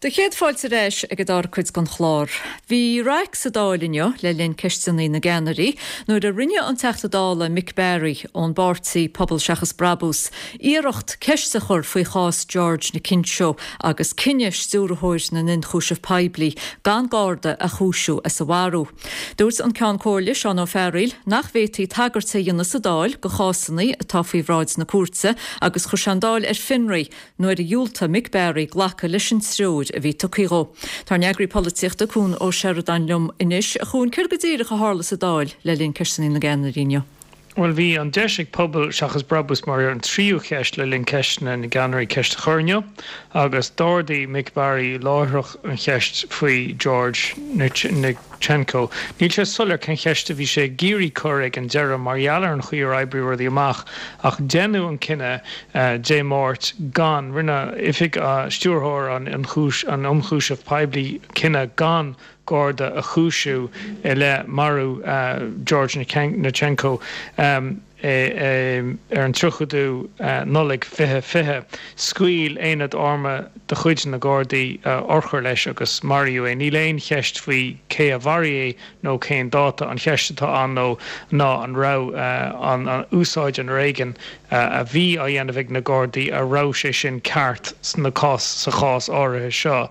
Do chéad fáilte ar ais ag an dara cuid den chlár. Bhí raic sa Dáil inniu le linn Ceisteanna na gCeannairí nuair a rinne an Teachta Dála Mick Barry ón bpáirtí Pobal Seachas Brabús iarracht ceist a chur faoi chás George Nkencho agus cinneadh Stiúrthóir na nIonchúiseamh Poiblí gan Garda a chúisiú as a mharú. Dúirt an Ceann Comhairle, Seán Ó Fearghaíl, nach bhféadfaí tagairt a dhéanamh sa Dáil do chásanna atá faoi bhráid na cúirte agus chuir sé an Dáil ar fionraí nuair a dhiúltaigh Mick Barry glacadh leis an treoir a bhí tugtha dhó. Tá ár n-eagraí polaitíochta, Cuan Ó Seireadáin liom anois. A Chuain, céard go díreach a tharla sa Dáil le linn Ceisteanna na gCeannairí inniu? Bhuel, bhí an deis ag Pobal Seachas Brabús mar an tríú cheist le linn Ceisteanna na gCeannairí ceist a chur inniu agus d'ardaigh Mick Barry láithreach an cheist faoi George Nkencho. Níl sé soiléir cén cheist a bhí sé ag iarraidh cur ag an deireadh mar gheall ar an chaoi ar oibrigh rudaí amach ach deineadh an cinneadh Dé Máirt gan, rinne Oifig Stiúrthóir an Ionchúiseamh Poiblí cinneadh gan Garda a chúisiú i leith marú George Nkencho ar an 30ú Nollaig 2020. Scaoil aonad armtha de chuid na Gardaí urchar leis agus maraíodh é. Níl aon cheist faoi cé a mharaigh é nó cén dáta. An cheist atá ann ná an raibh an úsáid an fhoréigin a bhí á dhéanamh ag na Gardaí, a raibh sé sin ceart sna cás sa chás áirithe seo.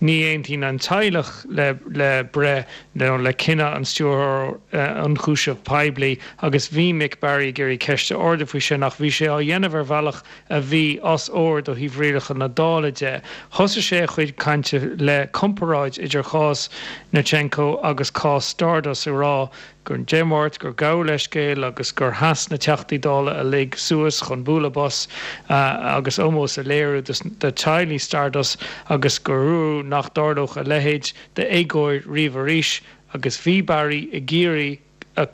Ní aontaíonn an teaghlach le le breith nó le cinneadh an Stiúrthóir Ionchúiseamh Poiblí agus bhí Mick Barry ag iarraidh ceist a ardú faoi sin ach bhí sé á dhéanamh ar bhealach a bhí os ard ó thaobh rialacha na Dála de. Thosaigh sé a chuid cainte le comparáid idir chás Nkencho agus cás Stardust ag rá gur Dé Máirt gur gabhadh leithscéal agus gur sheas na Teachtaí Dála uilig suas chun bualadh bos agus ómós a léiriú do teaghlaigh Stardust agus gur dúradh nach dtarlódh a leithéid d'éagóir riamh arís agus bhí Barry ag iarraidh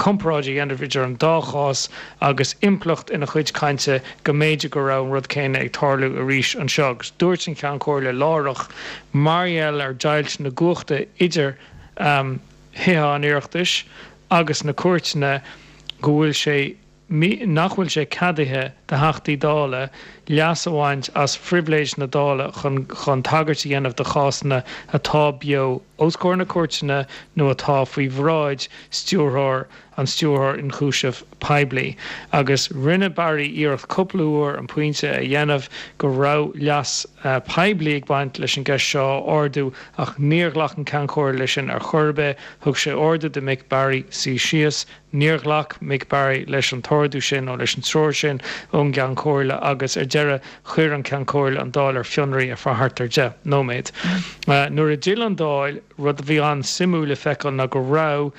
comparáid a dhéanamh idir an dá chás agus impleacht ina chuid cainte go mb'fhéidir go raibh an rud céanna ag tarlú arís anseo agus dúirt an Ceann Comhairle láithreach mar gheall ar deighilt na gcumhachtaí idir Thithe an Oireachtais agus na cúirteanna go bhfuil sé nach bhfuil sé ceadaithe do Theachtaí Dála leas a bhaint as phribhléid na Dála chun chun tagairt a dhéanamh do chásanna atá beo. os comhair na cúirteanna nó atá faoi bhráid stiúrthóir an Stiúrthóir Ionchúiseamh Poiblí. Agus rinne Barry iarracht cúpla uair an pointe a dhéanamh go raibh leas poiblí ag baint leis an gceist seo a ardú ach níor ghlac an Ceann Comhairle leis sin ar chor ar bith. Thug sé ordú do Mick Barry suí síos. Níor ghlac Mick Barry leis an t-ordú sin nó leis an treoir sin ón gCeann Comhairle agus ar deireadh chuir an Ceann Comhairle an Dáil ar fionraí ar feadh thart ar 10 nóiméad. Nuair a d'fhill an Dáil, rud a bhí an-suimiúil le feiceáil ná go raibh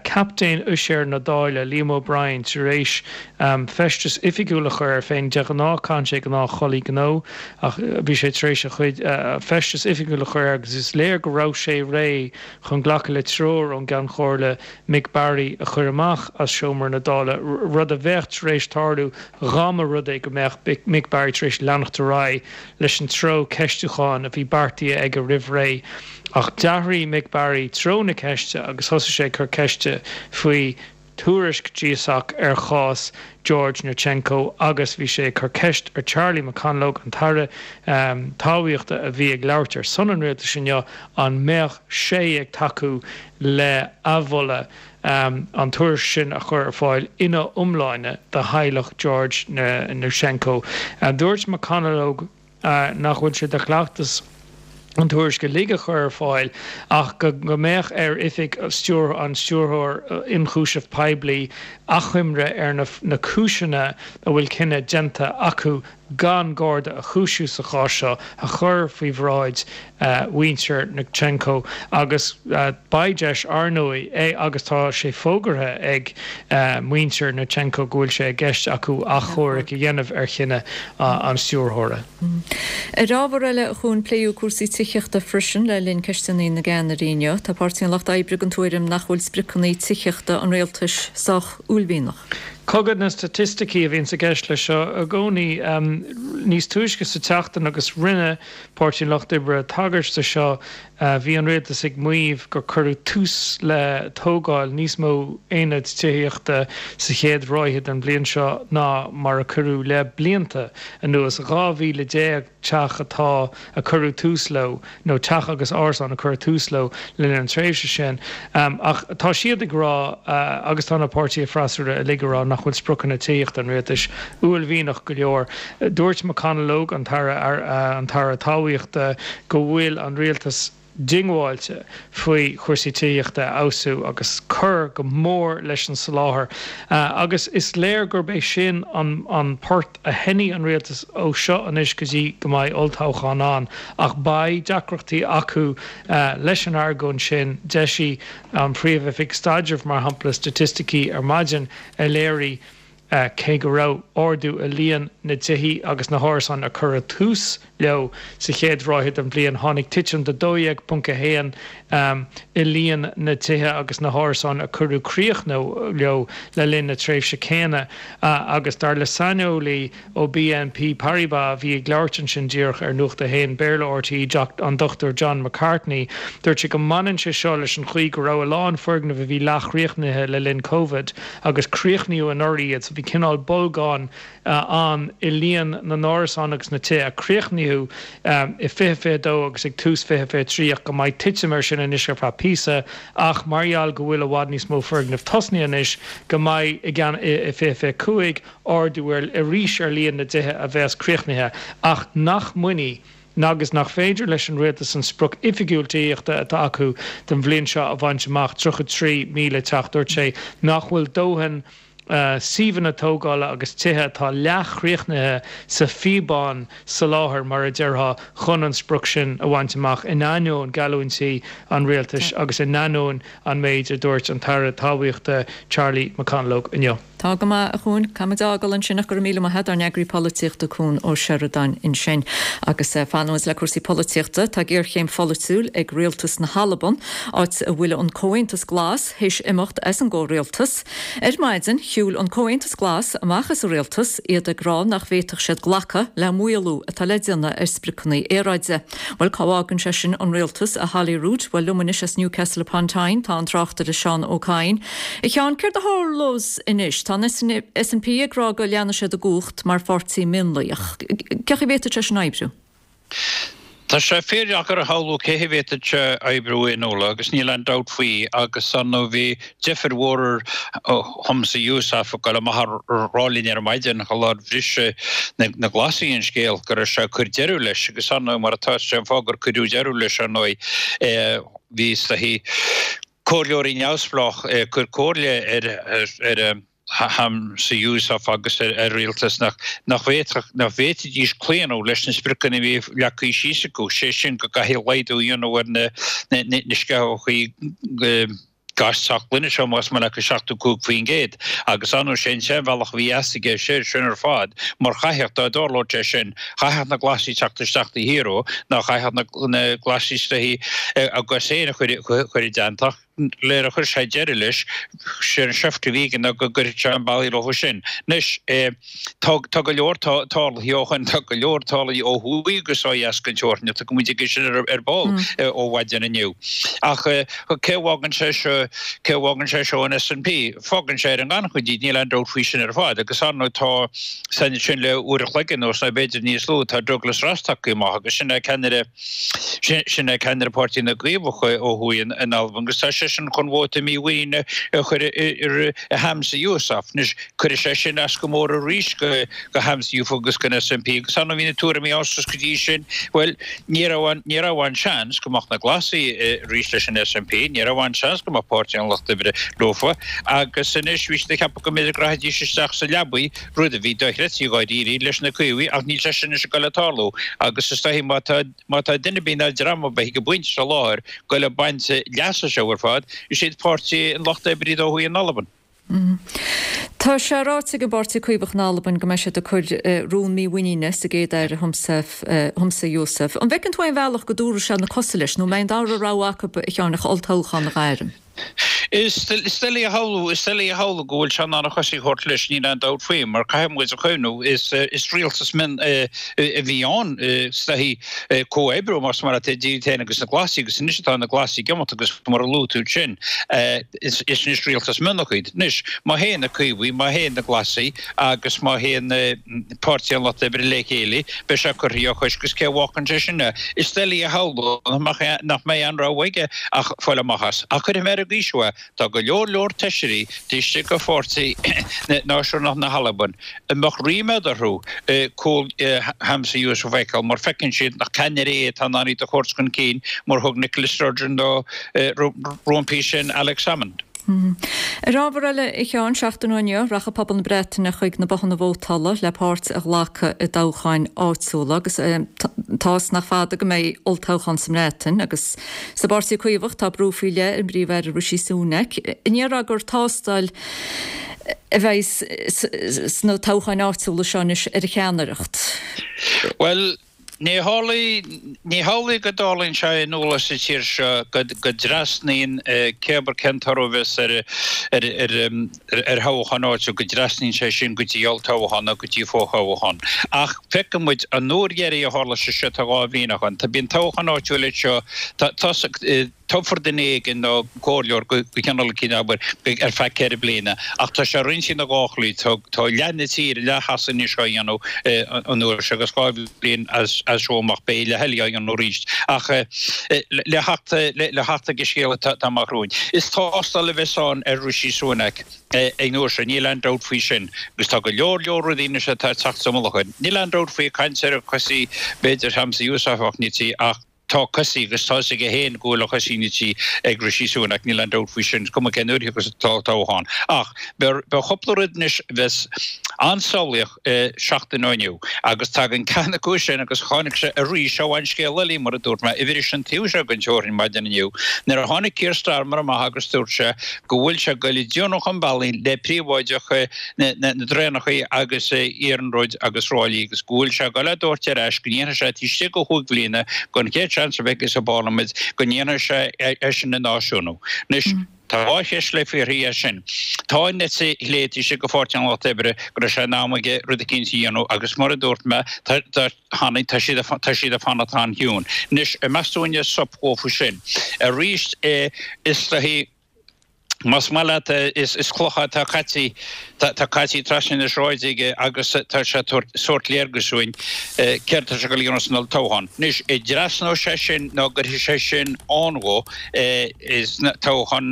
Captaen Uiséir na Dála, Liam O'Brien, tar éis feisteas oifigiúil a chur air féin. De ghnáth caitheann sé gnáthchulaith gnó ach bhí sé tar éis a chuid feisteas oifigiúil a chur air agus is léir go raibh sé réidh chun glacadh le treoir ón gCeann Comhairle Mick Barry a chur amach as seomra na Dála, rud a bheadh tar éis tarlú dhá mba rud é go mbeadh Mick Barry tar éis leanacht ar aghaidh leis an treo ceistiúcháin a bhí beartaithe aige roimh ré. Ach d'athraigh Mick Barry treo na ceiste agus thosaigh sé ag cur ceiste faoi tuairisc GSOC ar chás George Yurchenko agus bhí sé ag cur ceist ar Charlie McConalogue, an tAire Talmhaíochta a bhí ag labhairt ar son an rialtais inniu, an mbeadh sé ag tacú le athmholadh an tuairisc sin a chur ar fáil ina iomláine do theaghlach George Yurchenko. Dúirt McConalogue nach bhfuil sé de chleachtas an tuairisc uilig a chur ar fáil ach go mbeadh ar oifig an Stiúrthóir Ionchúiseamh Poiblí achoimre ar na cúiseanna a bhfuil cinneadh déanta acu gan Garda a chúisiú sa chás seo a chur faoi bhráid mhuintir Yurchenko agus beidh deis, ar ndóigh, agus tá sé fógartha ag muintir Yurchenko go bhfuil sé i gceist acu achomharc a dhéanamh ar chinneadh an stiúrthóra. Ar ábhar eile, a Chuain, pléadh cúrsaí tithíochta freisin le linn Ceisteanna na gCeannairí inniu. Tá Páirtí an Lucht Oibre den tuairim nach bhfuil spriocanna tithíochta an rialtais sách uaillmhianach. Cogadh na staitisticí a bhíonns i gceist leis seo i gcónaí. Níos túisce sa tseachtain agus rinne Páirtí an Lucht Oibre tagairt do seo, bhí an rialtas ag maíomh gur cuireadh tús le tógáil níos mó aonad tithíochta sa chéad ráithe den bhliain seo ná mar a cuireadh le blianta anuas, 12,000 teach atá a cuireadh tús leo, nó teach agus árasán a cuireadh tús leo le linn an tréimhse sin. Ach tá siad ag rá, agus tá na páirtithe freasúra uilig ag rá, nach bhfuil spriocanna tithíochta an rialtais uaillmhianach go leor. Dúirt McConalogue, an tAire an tAire Talmhaíochta, go bhfuil an rialtas diongbháilte faoi chúrsaí tithíochta a fheabhsú agus cur go mór leis an soláthar agus is léir gurb é sin an port a sheinnfidh an rialtas ó seo anois go dtí go mbeidh olltoghchán ann ach beidh deacrachtaí acu leis an argóint sin. D'eisigh an Phríomh-Oifig Staidrimh, mar shampla, staitisticí ar maidin a léirigh Cé go raibh ardú i líon na dtithe agus na hárasán a cuireadh tús leo sa chéad ráithe den bhliain, tháinig titim de 12.1 i líon na dtithe agus na hárasán a cuireadh críoch leo le linn na tréimhse céanna. Agus dar le saineolaí ó BNP Paribas a bhí ag labhairt ansin díreach ar Nuacht a hAon, Béarla RTÉ, an Dr John McCartney, dúirt sé go mbaineann sé seo leis an chaoi go raibh a lán foirgneamh a bhí leathchríochnaithe le linn Covid agus críochnaíodh anuraidh iad so bhí cineál bolgán ann i líon na n-árasán agus na tithe a críochnaíodh i 2022 agus ag tús 2023 ach go mbeidh titim air sin anois ar feadh píosa ach mar gheall go bhfuil i bhfad níos mó foirgneamh tosnaithe anois go mbeidh i gceann i 2025 ardú ar arís ar líon na dtithe a bheas críochnaithe ach nach mbainfidh agus nach féidir leis an rialtas an sprioc oifigiúil tithíochta atá acu don bhliain seo a bhaint amach, 33,000 teach. Dúirt sé nach bhfuil dóthain suíomhanna tógála agus tithe atá leathchríochnaithe sa phíobán soláthair, mar a déarfá, chun an sprioc sin a bhaint amach, in ainneoin geallúintí an rialtais agus in ainneoin an méid a dúirt an tAire Talmhaíochta Charlie McConalogue inniu. Tá go maith, a Chuain. Caithfimid a fhágáil ansin ach go raibh míle maith agat, ár n-eagraí polaitíochta Cuan Ó Seireadáin ansin. Agus fanfaimid le cúrsaí polaitíochta. Tá géarchéim pholaitiúil ag rialtas na hAlban, áit a bhfuil an Comhaontas Glas théis imeacht as an gcomhrialtas. Ar maidin, shiúil an Comhaontas Glas amach as an rialtas, iad ag rá nach bhféadfadh siad glacadh le maolú atá le déanamh ar spriocanna aeráide. Bhuel, cá bhfágann sé sin an rialtas, a Holyrood? Bhuel, liom anois as Newcastle upon Tyne tá an tráchtaire Seán Ó Cadhain. A Sheáin, céard a tharlós anois? Tá an SNP ag rá go leanfaidh siad i gcumhacht mar pháirtí mionlaigh, ach cén chaoi a bhféadfadh sé sin oibriú? Tá sé fíordheacair a shamhlú cé hé a bhféadfadh sé oibriú i Nuala agus níl aon dabht faoi agus ar ndóigh bhí deifir mhór ar Humza Yousaf ag dul amach a rá linn ar maidin an lá ar bhris na Glasaigh an scéal go raibh sé ag cur deireadh leis agus ar ndóigh mar atá sé an fáth gur cuireadh deireadh leis ar ndóigh bhí is dóichí comhairleoirí neamhspleách ag cur comhairle ar ar Humza Yousaf agus ar a rialtas nach bhféadfadh, nach bhféadfaidís claonadh leis na spriocanna a bhí leagtha síos acu, sé sin go gcaithfí laghdú a dhéanamh ar na sceitheachaí gás teach gloine seo más maith leat go 75% agus ar ndóigh sé an t-aon bhealach a bhí a fhios aige sé sin ar fad mar chaithfeadh, dá dtarlódh sé sin, chaithfeadh na Glasaigh teacht isteach taobh thiar dhó nó chaithfeadh na Glasaigh is dóichí a gcos féin a chur i dteannta. Nuair a chuir sé deireadh leis, sé an seift a bhí aige ná go gcuirfeadh sé an bealaí leo sin. Anois, tá tá go leor tarlaithe ó shoin, tá go leor tarlaithe ó thuaidh agus ó dheas den teorainn, tiocfaidh muid chuige sin ar ball ó mhaidin inniu. Ach cé a bhfágann sé seo, cé a bhfágann sé seo an SNP? Fágann sé ar an ngannchuid iad, níl aon dabht faoi sin ar fad. Agus ar ndóigh tá, san sin le uair a chloig anuas nó b'fhéidir níos lú, tá Douglas Ross tagtha amach agus sin é ceannaire, Sin é ceannaire Páirtí na gCaomhach ó thuaidh in Albain agus tá seisean chun vóta mímhuiníne a chur ar Humza Yousaf. Anois, cuirfidh sé sin as go mór arís go Humza Yousaf agus don SNP agus ar ndóigh bhí na tuairimí ann suas go dtí sin, bhuel, ní raibh aon, ní raibh aon seans go mbeadh na Glasaigh arís leis an SNP, ní raibh aon seans go mbeadh Páirtí an Lucht Oibre leofa agus anois bhí siad ag ceapadh go mb'fhéidir go rachaidís isteach sa leabaidh rud a bhí dochreidte dháiríre leis na Caomhaigh ach níl sé sin anois ag dul ag tarlú agus is dóichí má tá má tá duine ar bith ná dream ar bith ag an bpointe seo láthair ag dul ag baint leas as seo ar fad, is iad Páirtí an Lucht Oibre ó thuaidh in Albain. Tá sé ráite ag an bPáirtí Caomhach in Albain go mbeidh siad ag cur rún mímhuiníne sa gCéad-Aire Humza Yousaf. An bhfeiceann tú aon bhealach go dtabharfaidh sé na cosa leis nó an mbeidh an dara rogha acu, a Sheáin, ach olltoghchán a ghairm? Is doiligh a shamhlú, is doiligh a shamhlú go bhfuil sé in ann a chosaí a thabhairt leis, níl aon dabht faoi, mar caithfidh muid a chuimhniú, is rialtas mion a bhí ann, is dóichí, comhoibriú, más maith leat, idir iad féin agus na Glasaigh, agus anois atá na Glasaigh ag imeacht agus mar a luaigh tú ansin, is anois rialtas mionlach iad. Anois, má théann na Caomhaigh, má théann na Glasaigh agus má théann Páirtí an Lucht Oibre le chéile, beidh sé curtha dhá chois agus cé a bhfágann sé sin é? Is doiligh a shamhlú nach mbeidh aon rogha aige ach fáil amach as. Ach cuirfidh mé ar an gcaoi seo é, tá go leor leor feisirí taobh istigh de Pháirtí Náisiúnach na hAlban a mbeadh ríméad orthu cúl Humza Yousaf a fheiceáil mar feiceann siad nach ceannaire é atá in ann iad a thabhairt chun cinn mar thug Nicola Sturgeon nó roimpi sin Alex Salmond. Ar ábhar eile, a Sheáin, seachtain ó inniu, rachaidh pobal na Breataine chuig na bothanna vótála le páirt a ghlacadh i dtoghcháin áitiúla agus tá 's nach fada go mbeidh olltoghchán sa mBreatain agus sa bPáirtí Caomhach tá brú faoi leith ar an bPríomh-Aire Rishi Sunak. An ndéarfá gur tástáil a bheidh sna toghcháin áitiúla seo anois ar a cheannaireacht? Bhuel, Ní hamhlaidh, ní hamhlaidh go dtarlaíonn sé i Nuala sa tír seo go dtrasnaíonn cébir cén toradh a bheas ar ar thoghchán áitiúil, go dtrasnaíonn sé sin go dtí olltoghchán nó go dtí fothoghchán. Ach feiceann muid an uair dheiridh a tharla sé seo tá 2 bhliain ó shoin. Tá bíonn toghchán áitiúil anseo, tá Toghfar duine éigin nó comhairleoir go cineál eicínt abair ar feadh 4 bliana ach tá sé roinnte ina dhá shlí. Tá leath na tíre, leath Shasana anois á dhéanamh an uair seo agus 2 bhliain as seo amach beidh leath eile á dhéanamh arís. Ach le theacht le theacht ag an scéal atá amach romhainn, is tástáil a bheas ann ar Rishi Sunak an uair seo, níl aon dabht faoi sin. Agus tá go leor leor rudaí anois atá ag teacht sa mullach air. Níl aon dabht faoi ag caint ar chosaí b'fhéidir Humza Yousaf ach ní ach Tá cosaí agus tá 'fhios aige féin go bhfuil a chosaí nite ag Rishi Sunak, níl aon dabht faoi sin, is cuma cén uair a thiocfas an toghchán. Ach beidh cúpla rud anois a bheas an-samhlaíoch seachtain ó inniu agus tagann ceann acu sin agus tháinig sé arís ó an scéal eile mar a dúirt mé, a bhris an taobh seo den teorainn maidin inniu nuair a tháinig Keir Starmer amach agus dúirt sé go bhfuil sé ag goil ag déanamh an bhealaigh le príobháideach na dtraenachaí agus iarnróid agus ráillí agus go bhfuil sé ag goil á dtabhairt ar ais, go ndéanfaidh sé taobh istigh de chúig bhliana den chéad seans a bheidh aige sa bParlaimint, go ndéanfaidh sé é sin a náisiúnú. Anois, tá dhá cheist le fiafraí as sin. Tá an eite chlé taobh istigh de Pháirtí an Lucht Oibre go raibh sé in am aige rud eicínt a dhéanamh agus mar a dúirt mé, tá, tháinig, tá siad, tá siad ag fanacht an-chiúin. Anois, meas tú an sop dhófa sin? Arís, is dóichí. Más maith leat, is cloch atá caite, tá caite trasna na sráide aige agus tá sé ag tabhairt sórt léargas dúinn céard atá sé ag dul a dhéanamh san olltoghchán. Anois, an dtrasnóidh sé sin nó an gcuirfidh sé sin ann dhó sna toghcháin,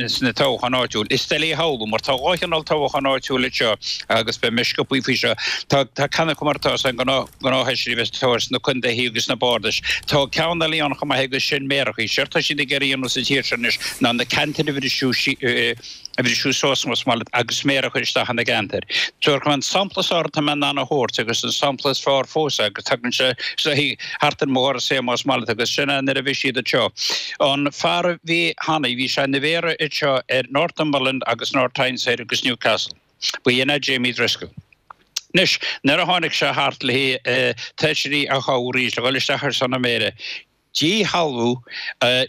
sna toghcháin áitiúil? Is doiligh a shamhlú mar tá 2 chineál toghchán áitiúil anseo agus beidh mé sciobthaí faoi seo. Tá ceann acu mar atá an gnáth, gnáthfheisirí a bheas tofa sna contaethaí agus sna bardais. Tá ceann eile ann chomh maith agus sin méarachaí. Séard tá siad ag iarraidh a dhéanamh sa tír seo anois ná na ceantair a bhriseadh a bhriseadh suas más maith leat agus méara a chur isteach ina gceantair. Tabharfaidh mé an sampla is fearr atá mé in ann a thabhairt agus an sampla is fearr fós agus tagann sé thart ar mo dhoras é más maith leat agus sin é nuair a bhí siad anseo. An fear a bhí cheana, bhí sé ina mhéara anseo ar Northumberland agus North Tyneside agus Newcastle. Ba shin é Jamie Driscoll. Anois, nuair a tháinig sé thart le feisirí a thoghadh arís le dhul isteach ar son an mhéara, díshealbhú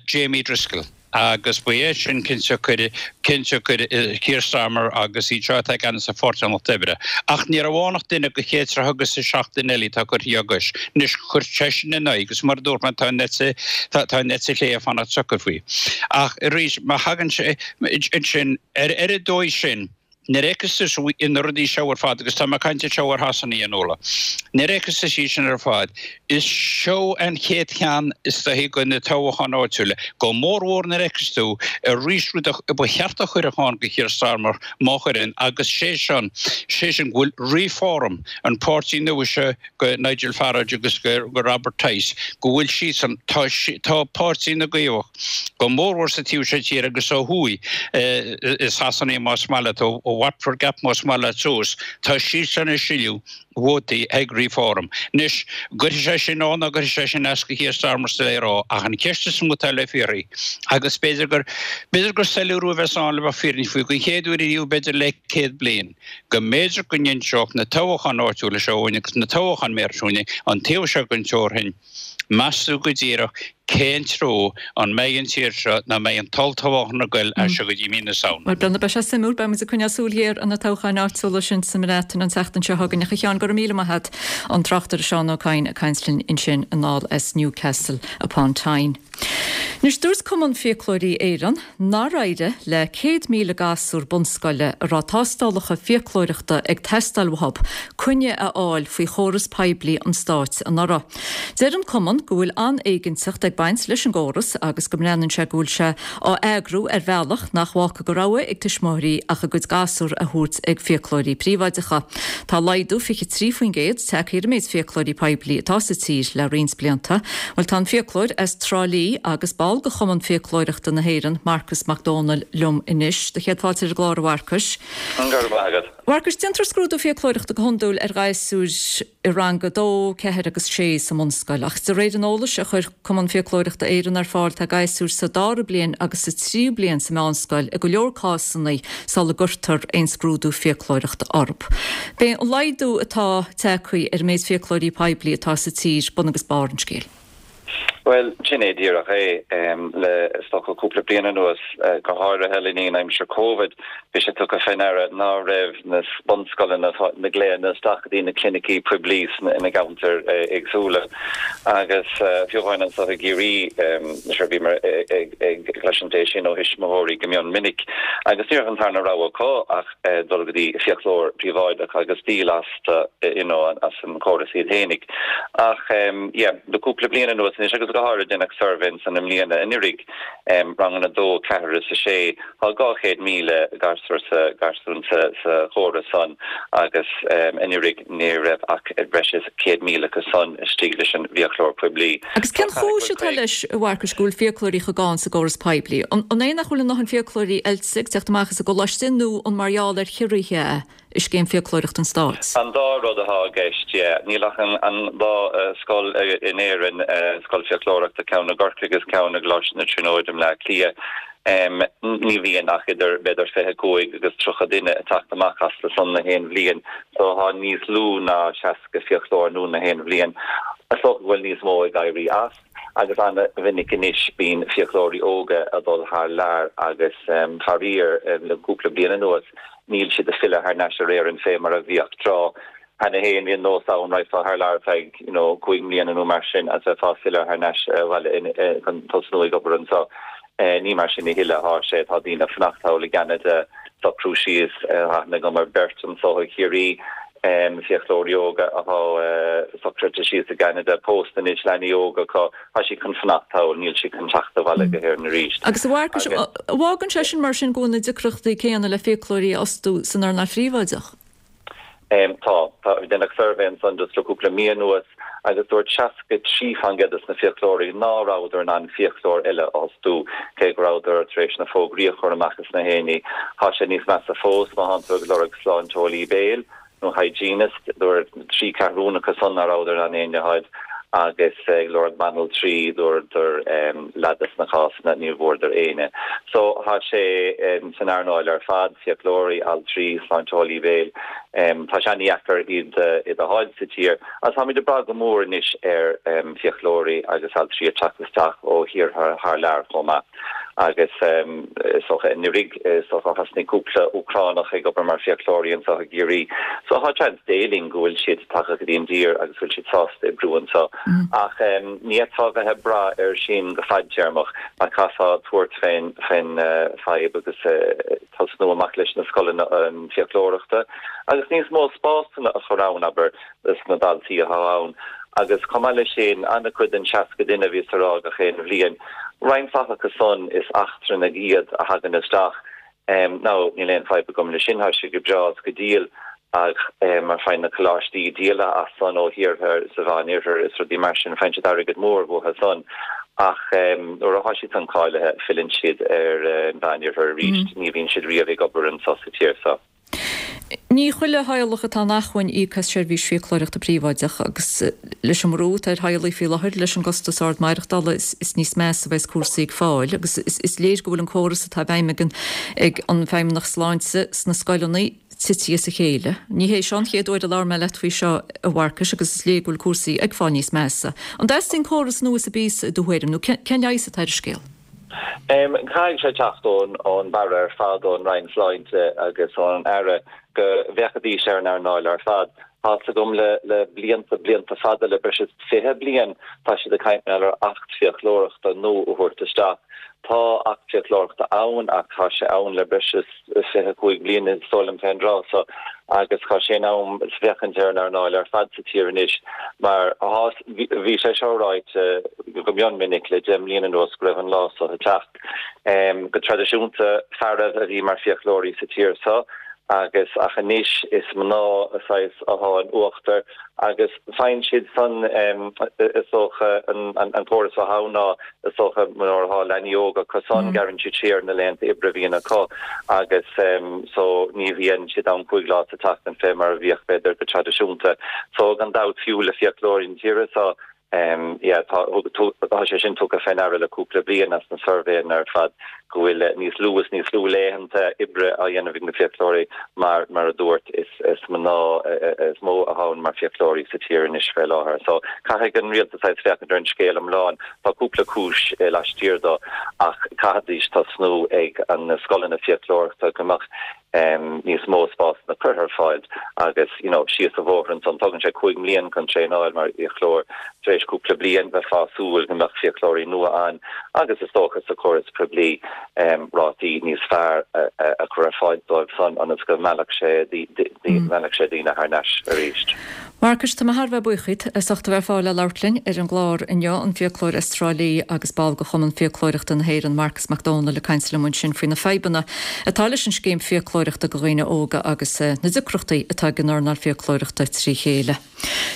Jamie Driscoll agus ba é sin cionsiocair cionsiocair Keir Starmer agus iad seo atá i gceannas ar Pháirtí an Lucht Oibre. Ach ní raibh ann ach duine de chéad tríocha agus a seacht duine eile atá curtha á gcois. Anois, chuir seisean ina aghaidh agus mar a dúirt mé tá an eite tá an eite chlé ag fanacht socair faoi. Ach arís, má thagann sé ansin ar ar an dóigh sin, Nuair a fheiceas tú na rudaí seo ar fad, agus tá mé ag caint anseo ar Shasana, a Fhionnuala, nuair a fheiceas tú iad sin ar fad, is seo an chéad cheann is dóichí de na toghcháin áitiúla, go mórmhór nuair a fheiceas tú arís rud a ba cheart a chuirfeadh ann do Keir Starmer, má chuireann, agus sé sin, sé sin go bhfuil Reform, an páirtí nua seo go Nigel Farage agus go Robert Tice, go bhfuil siadsan, tá, tá páirtí na gCaomhach, go mórmhór sa taobh seo tíre agus ó thuaidh i Sasana más maith leat, ó Watford Gap más maith leat suas, tá siadsan ag sileadh vótaí ag Reform. Anois, an gcuirfidh sé sin ann nó an gcuirfidh sé sin as do Keir Starmer is doiligh a rá, ach an cheist is mó atá le fiafraí, agus b'fhéidir gur, b'fhéidir gur soiléiriú a bheas ann le bheith fírinneach faoi, don chéad uair ariamh b'fhéidir le 100 bliain, go mb'fhéidir go n-inseodh na toghcháin áitiúla seo dhúinn agus na toghcháin méara seo dhúinn an taobh seo den teorainn, meas tú go díreach cén treo an mbeidh an tír seo nó an mbeidh an t-olltoghchán ag goil as seo go dtí mí na Samhna. Bhuel, Breandán, beidh sé suimiúil. Beidh muid ag coinneáil súil ghéar ar na toghcháin áitiúla sin sa mBreatain an tseachtain seo chugainn. Ach a Sheáin, go raibh míle maith agat. An tráchtaire Seán Ó Cadhain ag caint linn ansin anall as Newcastle upon Tyne. Anois, dúirt Cumann Fiaclóirí Éireann nár éirigh le 100,000 gasúr bunscoile a raibh tástálacha fiaclóireachta ag teastáil uathu coinne a fháil faoi chóras poiblí an stáit anuraidh. Deir an cumann go bhfuil an-éiginnteacht ag baint leis an gcóras agus go mbreathnaíonn sé go bhfuil sé á eagrú ar bhealach nach bhfágfaidh de rogha ag tuismitheoirí ach a gcuid gasúr a thabhairt ag fiaclóirí príobháideacha. Tá laghdú 23% tagtha ar an méid fiaclóirí poiblí atá sa tír le roinnt blianta. Bhuel, tá an fiaclóir as Trá Lí agus ball de Chumann Fiaclóireachta na hÉireann, Marcus Mac Dónaill, liom anois. Do chéad fáilte ar an gclár, a Mharcais. Go raibh maith agat. Mharcais, déantar scrúdú fiaclóireachta go hiondúil ar ghasúir i rang 2, 4 agus 6 sa mbunscoil, ach de réir an eolais a chuir Cumann Fiaclóireachta Éireann ar fáil tá gasúir sa dara bliain agus sa tríú bliain sa meánscoil i go leor cásanna sula gcuirtear aon scrúdú fiaclóireachta orthu. B'é an laghdú atá tagtha ar an méid fiaclóirí poiblí atá sa tír bun agus barr an scéil. Bhuel, sin é díreach é. Le, is dócha, cúpla bliain anuas, go háirithe le linn aimsir Covid, bhí sé tugtha fé ndeara ná raibh na bunscoileanna, na glaonna isteach go dtí na clinicí poiblí ina gceantair éagsúla. Agus fiú amháin anseo i gCiarraí, sure bhíomar ag cloisint é sin ó thuismitheoirí go mion minic. Agus ní raibh an tarna rogha acu ach dul go dtí fiaclóir príobháideach agus díol as. you know, as an chóras iad fhéinig. Ach yeah, le cúpla bliain anuas anois, agus go háirid deineadh suirbhé ansan i mbliana anuraidh, ranganna 2, 4 is 6, tá 200,000 gasúr sa, garsún sa, sa chóras san agus anuraidh ní raibh ach breis is 100,000 acu san istigh leis an bhfiaclóir poiblí. Agus cén chúis atá leis, a Mharcais, go bhfuil fiaclóirí chomh gann sa gcóras poiblí? An é nach bhfuil a ndóthain fiaclóirí oilte ag teacht amach as an gcoláiste nó an mar gheall ar chiorruithe é? i scéim fiaclóireachta an Stáit. An dá rud atá i gceist, yeah. Níl ach an dá scoil in Éirinn, scoil fiaclóireachta, ceann i gCorcaigh agus ceann i gColáiste na Tríonóide i mBleá Cliath. Ní bhíonn ach idir b'fhéidir 25 agus 30 duine ag teacht amach astu san na haon bhliain, so tá níos lú ná 60 fiaclóir nua na haon bhliain. Is dócha go bhfuil níos mó ag éirí as. Agus an-mhinic anois bíonn fiaclóirí óga ag dul thar lear agus faraor le cúpla bliain anuas níl siad ag filleadh thar n-ais ar Éirinn fé mar a bhíodh tráth. Cheana féin bhí an nós ann raghfá thar lear ar feadh you know cúig mbliana nó mar sin agus bheifeá ag filleadh thar n-ais abhaile chun tosnú ag obair anseo. Ní mar sin a thuilleadh athá sé. Tá daoine ag fanacht thall i gCeanada, socrú síos, tá aithne agam ar beirt anso i Chiarraí, fiaclóirí óga athá socraithe síos i gCeanada, pósta anois, leanaí óga acu, tá siad chun fanacht thall, níl siad chun teacht abhaile go hÉirinn arís. Agus a Mharcais, an bhfágann sé sin mar sin go bhfuil na deacrachtaí céanna le fiaclóirí a fhostú san earnáil phríobháideach? Tá. Tá. Deineadh suirbhé ansan just le cúpla mí anuas agus dúirt 63% des na fiaclóirí ná rabhadar in ann fiaclóir eile a fhostú, cé go rabhadar tar éis na fógraí a chur amach is na héinní. Tá sé níos measa fós má thánn tú ag lorg sláinteolaí béil nó hygienist, dúirt 3 ceathrún acu san ná rabhadar in ann éinne a fháil agus ag lorg banaltraí, dúradar leath des na cásanna ní bhfuaireadar éinne. So tá sé san earnáil ar fad. fiaclóirí, altraí, sláinteolaí béil. Tá sé an-dheacair iad a fháil sa tír agus táimid ag brath go mór anois ar fiaclóirí agus altraí ag teacht isteach ó thíortha thar lear chomh maith. Agus is dócha anuraidh, is dócha thosnaigh cúpla Úcránach ag obair mar fiaclóirí anseo i gCiarraí. So tá seans Dé linn go bhfuil siad tagtha go dtí an dtír agus go bhfuil siad sásta oibriú anseo. Ach ní fhéadfá a bheith ag brath air sin go fadtéarmach mar caithfeá tabhairt fén fadhb agus tosnú amach leis na scoileanna fiaclóireachta agus níos mó spásanna a chur ann, abair, dos na daltaí atá ann. Agus chomh maith leis sin, an-chuid den 60 duine a bhíos a rá gach aon bhliain, roinnt mhaith acu san is eachtrannaigh iad a thagann isteach. Now, níl aon fadhb agam leis sin, tá sé go breá is go diail ach mar faigheann na coláistí díol as san ó thíortha sa Mheán Oirthear is rudaí mar sin, faigheann siad airgead mór uathu san ach nuair atá siad san cáilithe, filleann siad ar an Mheán Oirthear arís, ní bhíonn siad riamh ag obair anso sa tír so. Ní chuile theaghlach atá in acmhainn íoc as seirbhís fiaclóireachta príobháideach agus leis an mbrú atá ar theaghlaigh faoi láthair leis an gcostas ard maireachtála is níos measa a bheas cúrsaí ag fáil agus is léir go bhfuil an córas atá i bhfeidhm ag an ag an Feidhmeannacht Sláinte sna scoileanna tite as a chéile. Ní hé seo an chéad uair a labhair mé leat faoi seo a Mharcais agus is léir go bhfuil cúrsaí ag fáil níos measa. An dteastaíonn córas nua sa bpíosa i do thuairim nó cén leigheas atá ar an scéal? Caithfidh sé teacht ón mbarra ar fad, ón Roinn Sláinte agus ón Aire, go bhféachfaidís ar an earnáil ar fad. Tá's agam le blianta, blianta fada, le breis is 20 bliain, tá siad ag caint mar gheall ar Acht Fiaclóireachta nua a thabhairt isteach. Tá Acht Fiaclóireachta ann ach tá sé ann le breis is 25 bliain is dóigh liom fén dtráth so agus tá sé in am féachaint ar an earnáil ar fad sa tír anois mar bhí sé seo ráite go mion minic le 10 mbliana anuas go raibh an lá so ag teacht. Go traidisiúnta fearaibh a bhí mar fiaclóirí sa tír so agus ach anois is mná saghas athá in uachtar agus faigheann siad san is dócha an córas atá ann ná Is dócha nuair atá leanaí óga acu san, gearrann siad siar na laethanta oibre a bhíonn acu agus so ní bhíonn siad ann 5 lá sa tseachtain fé mar a bhíodh b'fhéidir go traidisiúnta. So gan dabht fiú le fiaclóirí na tíre so yeah tá tá sé sin tugtha fé ndeara le cúpla bliain as na suirbhéanna ar fad go bhfuil níos lú is níos lú laethanta oibre á dhéanamh ag na fiaclóirí mar mar a dúirt is is mná is mó atá ann mar fiaclóirí sa tír anois fé láthair. So caithfidh an rialtas saghas féachaint ar an scéal iomlán. Tá cúpla cúis laistiar dó ach caithfidís tosnú ag na scoileanna fiaclóireachta go mbeadh níos mó spásanna curtha ar fáil agus you know síos an bhóthar ansan. Tógann sé 5 mbliain chun traenáil mar fhiaclóir. Tar éis cúpla bliain bheifeá ag súil go mbeadh fiaclóirí nua ann agus is dócha sa chóras poiblí rátaí níos fearr a chur ar fáil dóibh san ionas go meallfadh sé meallfadh sé daoine thar n-ais arís. Mharcais, tá mé thar a bheith buíoch díot as ucht a bheith ar fáil le labhairt linn ar an gclár inniu, an fiaclóir as Trá Lí agus ball de Chumann Fiaclóireachta na hÉireann, Marcas Mac Dónaill ag caint liom ansin faoi na fadhbanna atá leis an scéim fiaclóireachta do dhaoine óga agus na deacrachtaí atá ag an earnáil fiaclóireachta trí chéile.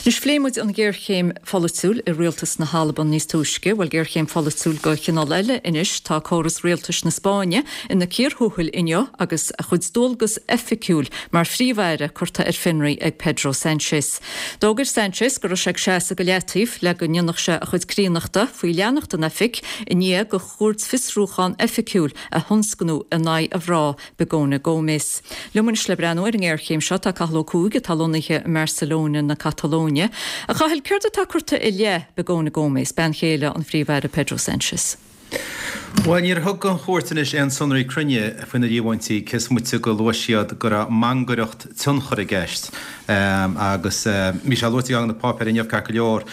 Anois, phléigh muid an ghéarchéim pholaitiúil i rialtas na hAlban níos túisce. Bhuel, géarchéim pholaitiúil de chineál eile anois. Tá córas rialtais na Spáinne ina cíor thuathail inniu agus a chuid dualgas oifigiúil mar phríomh-aire curtha ar fionraí ag Pedro Sánchez. D'fhógair Sánchez go raibh sé ag seasamh go leataobh le go ndéanfadh sé a chuid críonnachta faoi leanacht in oifig i ndiaidh do chúirt fiosrúchán oifigiúil a thionscnú in aghaidh a mhná Begoña Gómez. Liom anois le breathnú ar an ngéarchéim seo tá Cathal Ó Cuaig atá lonnaithe i mBarcelona na Catalóine. A Chathail, céard atá curtha i leith Begoña Gómez, bean chéile an Phríomh-Aire Pedro Sánchez? Bhuel, níor thug an chúirt anois aon sonraí cruinne faoi na líomhaintí, cé is moite gur luaigh siad go raibh mangaireacht tionchair i gceist. Agus bhí sé luaite i gceann de na páipéir inniu, ceart go leor,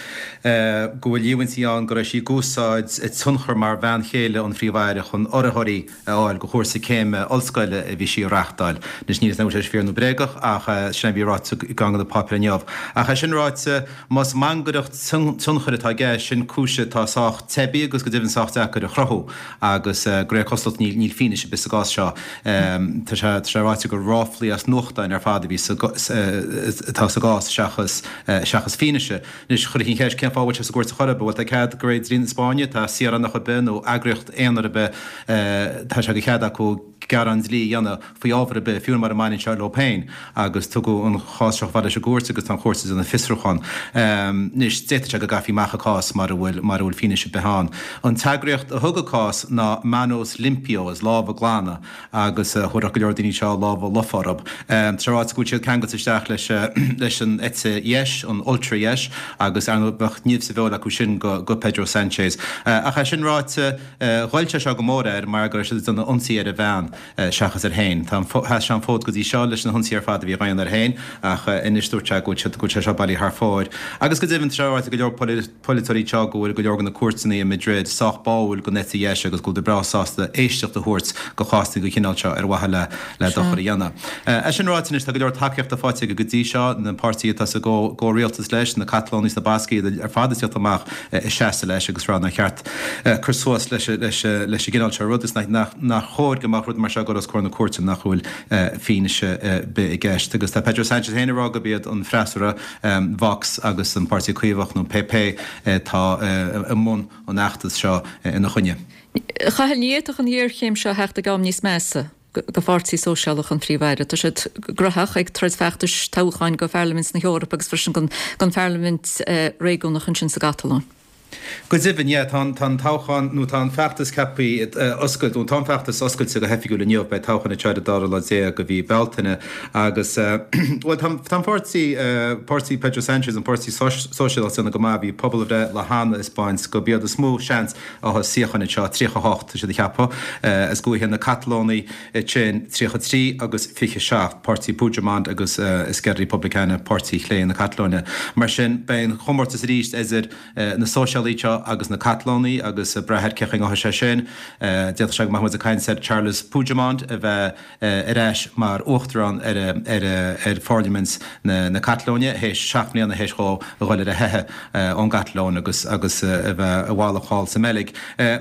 go bhfuil líomhaintí ann go raibh sí ag úsáid a tionchar mar bhean chéile an Phríomh-Aire chun urraitheoirí a fháil do chúrsa céime ollscoile a bhí sí a reáchtáil. Anois níl a fhios agam an bhfuil sé fíor nó bréagach ach sin é a bhí ráite i gceann de na páipéir inniu. Ach é sin ráite, Más mangaireacht tionchair atá i gceist, sin cúis atá sách teibí agus go deimhin sách deacair a chruthú agus de réir cosúlacht níl fianaise ar bith sa gcás seo. Tá sé ráite gur ráflaí as nuachtáin ar fad a bhí sa atá sa gcás seachas seachas fianaise. Anois chuirfí an cheist cén fáth a bhfuil sé sa gcúirt ar chor ar bith? Bhuel tá cead de réir dlí na Spáinne, tá saoránach ar bith nó eagraíocht aonair ar bith tá sé de chead acu gearán dlí a dhéanamh faoi ábhar ar bith, fiú mura mbaineann sé leo féin, agus tugadh an chás seo chomh fada leis an gcúirt agus tá an chúirt ag déanamh fiosrúchán. Anois, d'fhéadfadh sé go gcaithfí amach an cás mara bhfuil, mara bhfuil fianaise ar bith ann. An t-eagraíocht a thug an cás ná Manos Limpios, Lámha Glana, agus thabharfadh go leor daoine seo lámha lofa orthu. Tá sé ráite go bhfuil siad ceangailte isteach leis, leis an eite dheis, an ultra-dheis, agus ar ndóigh bheadh nimh sa bhfeoil acu sin go, go Pedro Sanchez. Ach é sin ráite, Ghoill sé seo go mór air mar go raibh siad ag déanamh ionsaí ar a bhean seachas air féin. Tá an, sheas sé an fód go dtí seo leis na hionsaithe ar fad a bhí á dhéanamh air féin ach anois dúirt sé go bhfuil siad, go bhfuil sé seo bailithe thar fóir. Agus go deimhin tá sé ráite ag go leor polaiteoirí anseo go bhfuil go leor de na cúirteanna i Madrid sách báúil don eite dheis agus go bhfuil siad breá sásta éisteacht a thabhairt do chásanna den chineál seo ar mhaithe le le dochar a dhéanamh. É sin ráite anois tá go leor tacaíochta faighte aige go dtí seo, na páirtithe atá sa gcomhrialtas leis, na Catalónaigh is na Bascaigh, iad ar fad ag tíocht amach ag seasamh leis agus ag rá nár cheart cur suas leis an gcineál seo rud is nach chóir go mbeadh rud mar seo ag dul os comhair na cúirte nach bhfuil fianaise ar bith i gceist. Agus tá Pedro Sanchez féin ag rá gurb iad an freasúra, Vox agus an Páirtí Caomhach nó PP atá i mbun an fheachtais seo ina choinne. A Chathail, ní fhéadfadh an ghéarchéim seo theacht ag am níos measa do Pháirtí Sóisialach an Phríomh-Aire. Tá siad gnóthach ag troid feachtais toghcháin do Pharlaimint na hEorpa agus freisin don Pharlaimint Réigiúnach ansin sa gCatalóin. Go deimhin, yeah, tá an toghchán, nó tá an feachtas ceaptha oscailt, nó tá an feachtas oscailte go hoifigiúil inniu, beidh toghchán anseo ar an dara lá déag de mhí Bealtaine agus, bhuel, tá an páirtí, páirtí Pedro Sanchez, an Páirtí Sóisialach, ag déanamh go maith, bhí pobalbhreith le hana ag 'spáint gurb iad is mó seans a fháil suíocháin anseo, 38 tá siad a cheapadh, is go bhfaigheann na Catalónaigh ansin 33 agus 27, páirtí Puigdemont agus Esquerra Republicana, páirtí chlé na Catalóine. Mar sin, beidh an chomórtas arís idir na Sóisialaigh seo agus na Catalónaigh agus ag brath ar cén chaoi a ngabhfaidh sé sin, d'fhéadfadh sé go mbeadh muid ag caint ar Charles Puigdemont a bheith ar ais mar uachtarán ar pharlaimint na Catalóine théis 7 mbliana théis dhó a dhul ar a theitheadh ón gCatalóin agus agus a bheith i bhfalach thall sa mBeilg.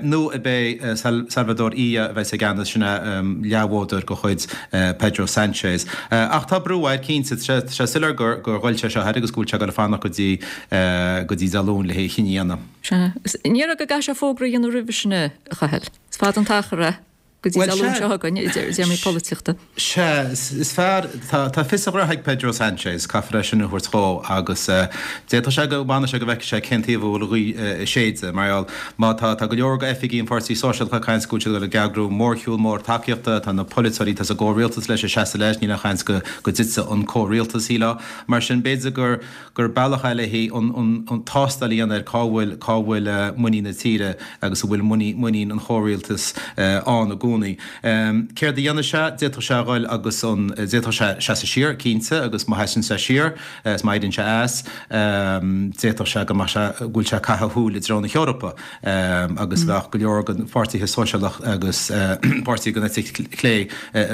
Nó ab é Salvador Illa a bheas i gceannas, sin é leathbhádóir de chuid Pedro Sanchez. Ach tá brú air, cinnte. Tá sé soiléir gur ghoill sé seo air agus go bhfuil sé ag dul ag fanacht go dtí go dtí Dé Luain le hé a chinneadh a dhéanamh. Sea. Ní raibh go gcaithfidh sé fógra a dhéanamh roimhe sin, a Chathail. Is fada an t-achar é. Go dtí Dé Luain seo chugainn, i dtéarmaí polaitíochta. Sea, is fearr, tá fios a ghraithe ag Pedro Sanchez, caithfear é sin a thabhairt dhó, agus d'fhéadfadh sé go bhfanfaidh sé go bhfeicfidh sé cén taobh a bhfuil an ghaoth ag séideadh. Mar gheall, má tá, tá go leor d'oifigigh an Pháirtí Sóisialach ag caint go bhfuil siad ag dul ag eagrú mórshiúl mór tacaíochta, tá na polaiteoirí atá sa gcomhrialtas leis ag seasamh leis, níl aon chaint go dtitfidh an comhrialtas, shílfeá. Mar sin, b'fhéidir gur. gur bealach eile é an tástáil a dhéanamh ar cá bhfuil, cá bhfuil muinín na tíre agus an bhfuil muinín an chomhrialtais ann i gcónaí. Céard a dhéanfaidh sé? D'fhéadfadh sé a dhul agus an, d'fhéadfadh sé seasamh siar, cinnte, agus má sheasann sé siar is má éiríonn sé as, d'fhéadfadh sé go mbeadh sé, go bhfuil sé ag caitheamh a shúil i dtreo na hEorpa agus bheadh go leor de pháirtithe sóisialach agus páirtithe den eite chlé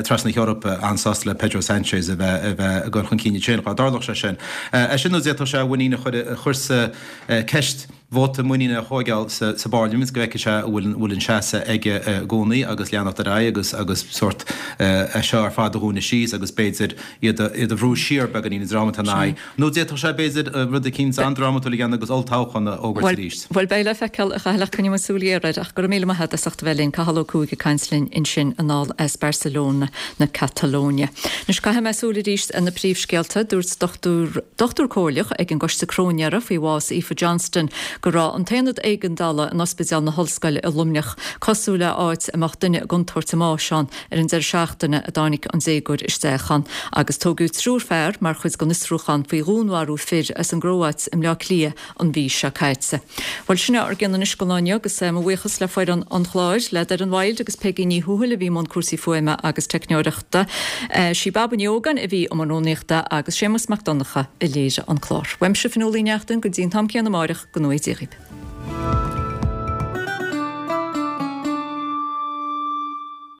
trasna na hEorpa an-sásta le Pedro Sanchez a bheith a bheith ag dul chun cinn ansin, dá dtarlódh sé sin. É sin nó d'fhéadfadh sé a mhuinín a chur a chur sa ceist, vóta muiníne a thóigeáil sa sa bParlaimint go bhfeicfidh sé an bhfuil an bhfuil an seasamh aige i gcónaí agus leanacht ar aghaidh agus agus sórt é seo ar fad a dhúnadh síos agus b'fhéidir iad a iad a bhrú siar beagáinín an dream atá ina aghaidh. Nó d'fhéadfadh sé, b'fhéidir, rud eicínt an-drámatúil a dhéanamh agus olltoghchán a fhógairt arís. Bhuel, beidh le feiceáil, a Chathail, ach coinneoidh muid súil ghéar air. Ach go raibh míle maith agat as ucht a bheith linn. Cathal Ó Cuaig ag caint linn ansin anall as Barcelona na Catalóine. Anois caithfidh mé súil arís ar na príomhscéalta. Dúirt dochtúir, dochtúir comhairleach ag an gCoiste Cróinéara faoi bhás Aoife Johnston. go raibh an t-aonad éigeandála in Ospidéal na hOllscoile i Luimneach cosúil le áit a mbeadh duine i gcontúirt a mbáis ann ar an deireadh seachtaine a dtáinig an déagóir isteach ann agus tógadh triúr fear mar chuid den fhiosrúchán faoi dhúnmharú fir as an gCróáit i mBleá Cliath an mhí seo caite. Bhuel, sin é ár gcion anois don lá inniu agus mo bhuíochas le foireann an chláir, le Doireann Wild agus Peigí Ní Thuathail a bhí i mbun cúrsaí fuaime agus teicneoireachta. Sí Baba Ní Ógáin a bhí i mbun rúnaíochta agus Séamus Mac Donncha a léirigh an clár. Uaimse Fionnuala Uí Neachtain go dtí an t-am céanna amáireach, go ngnóthaí Dia dhaoibh.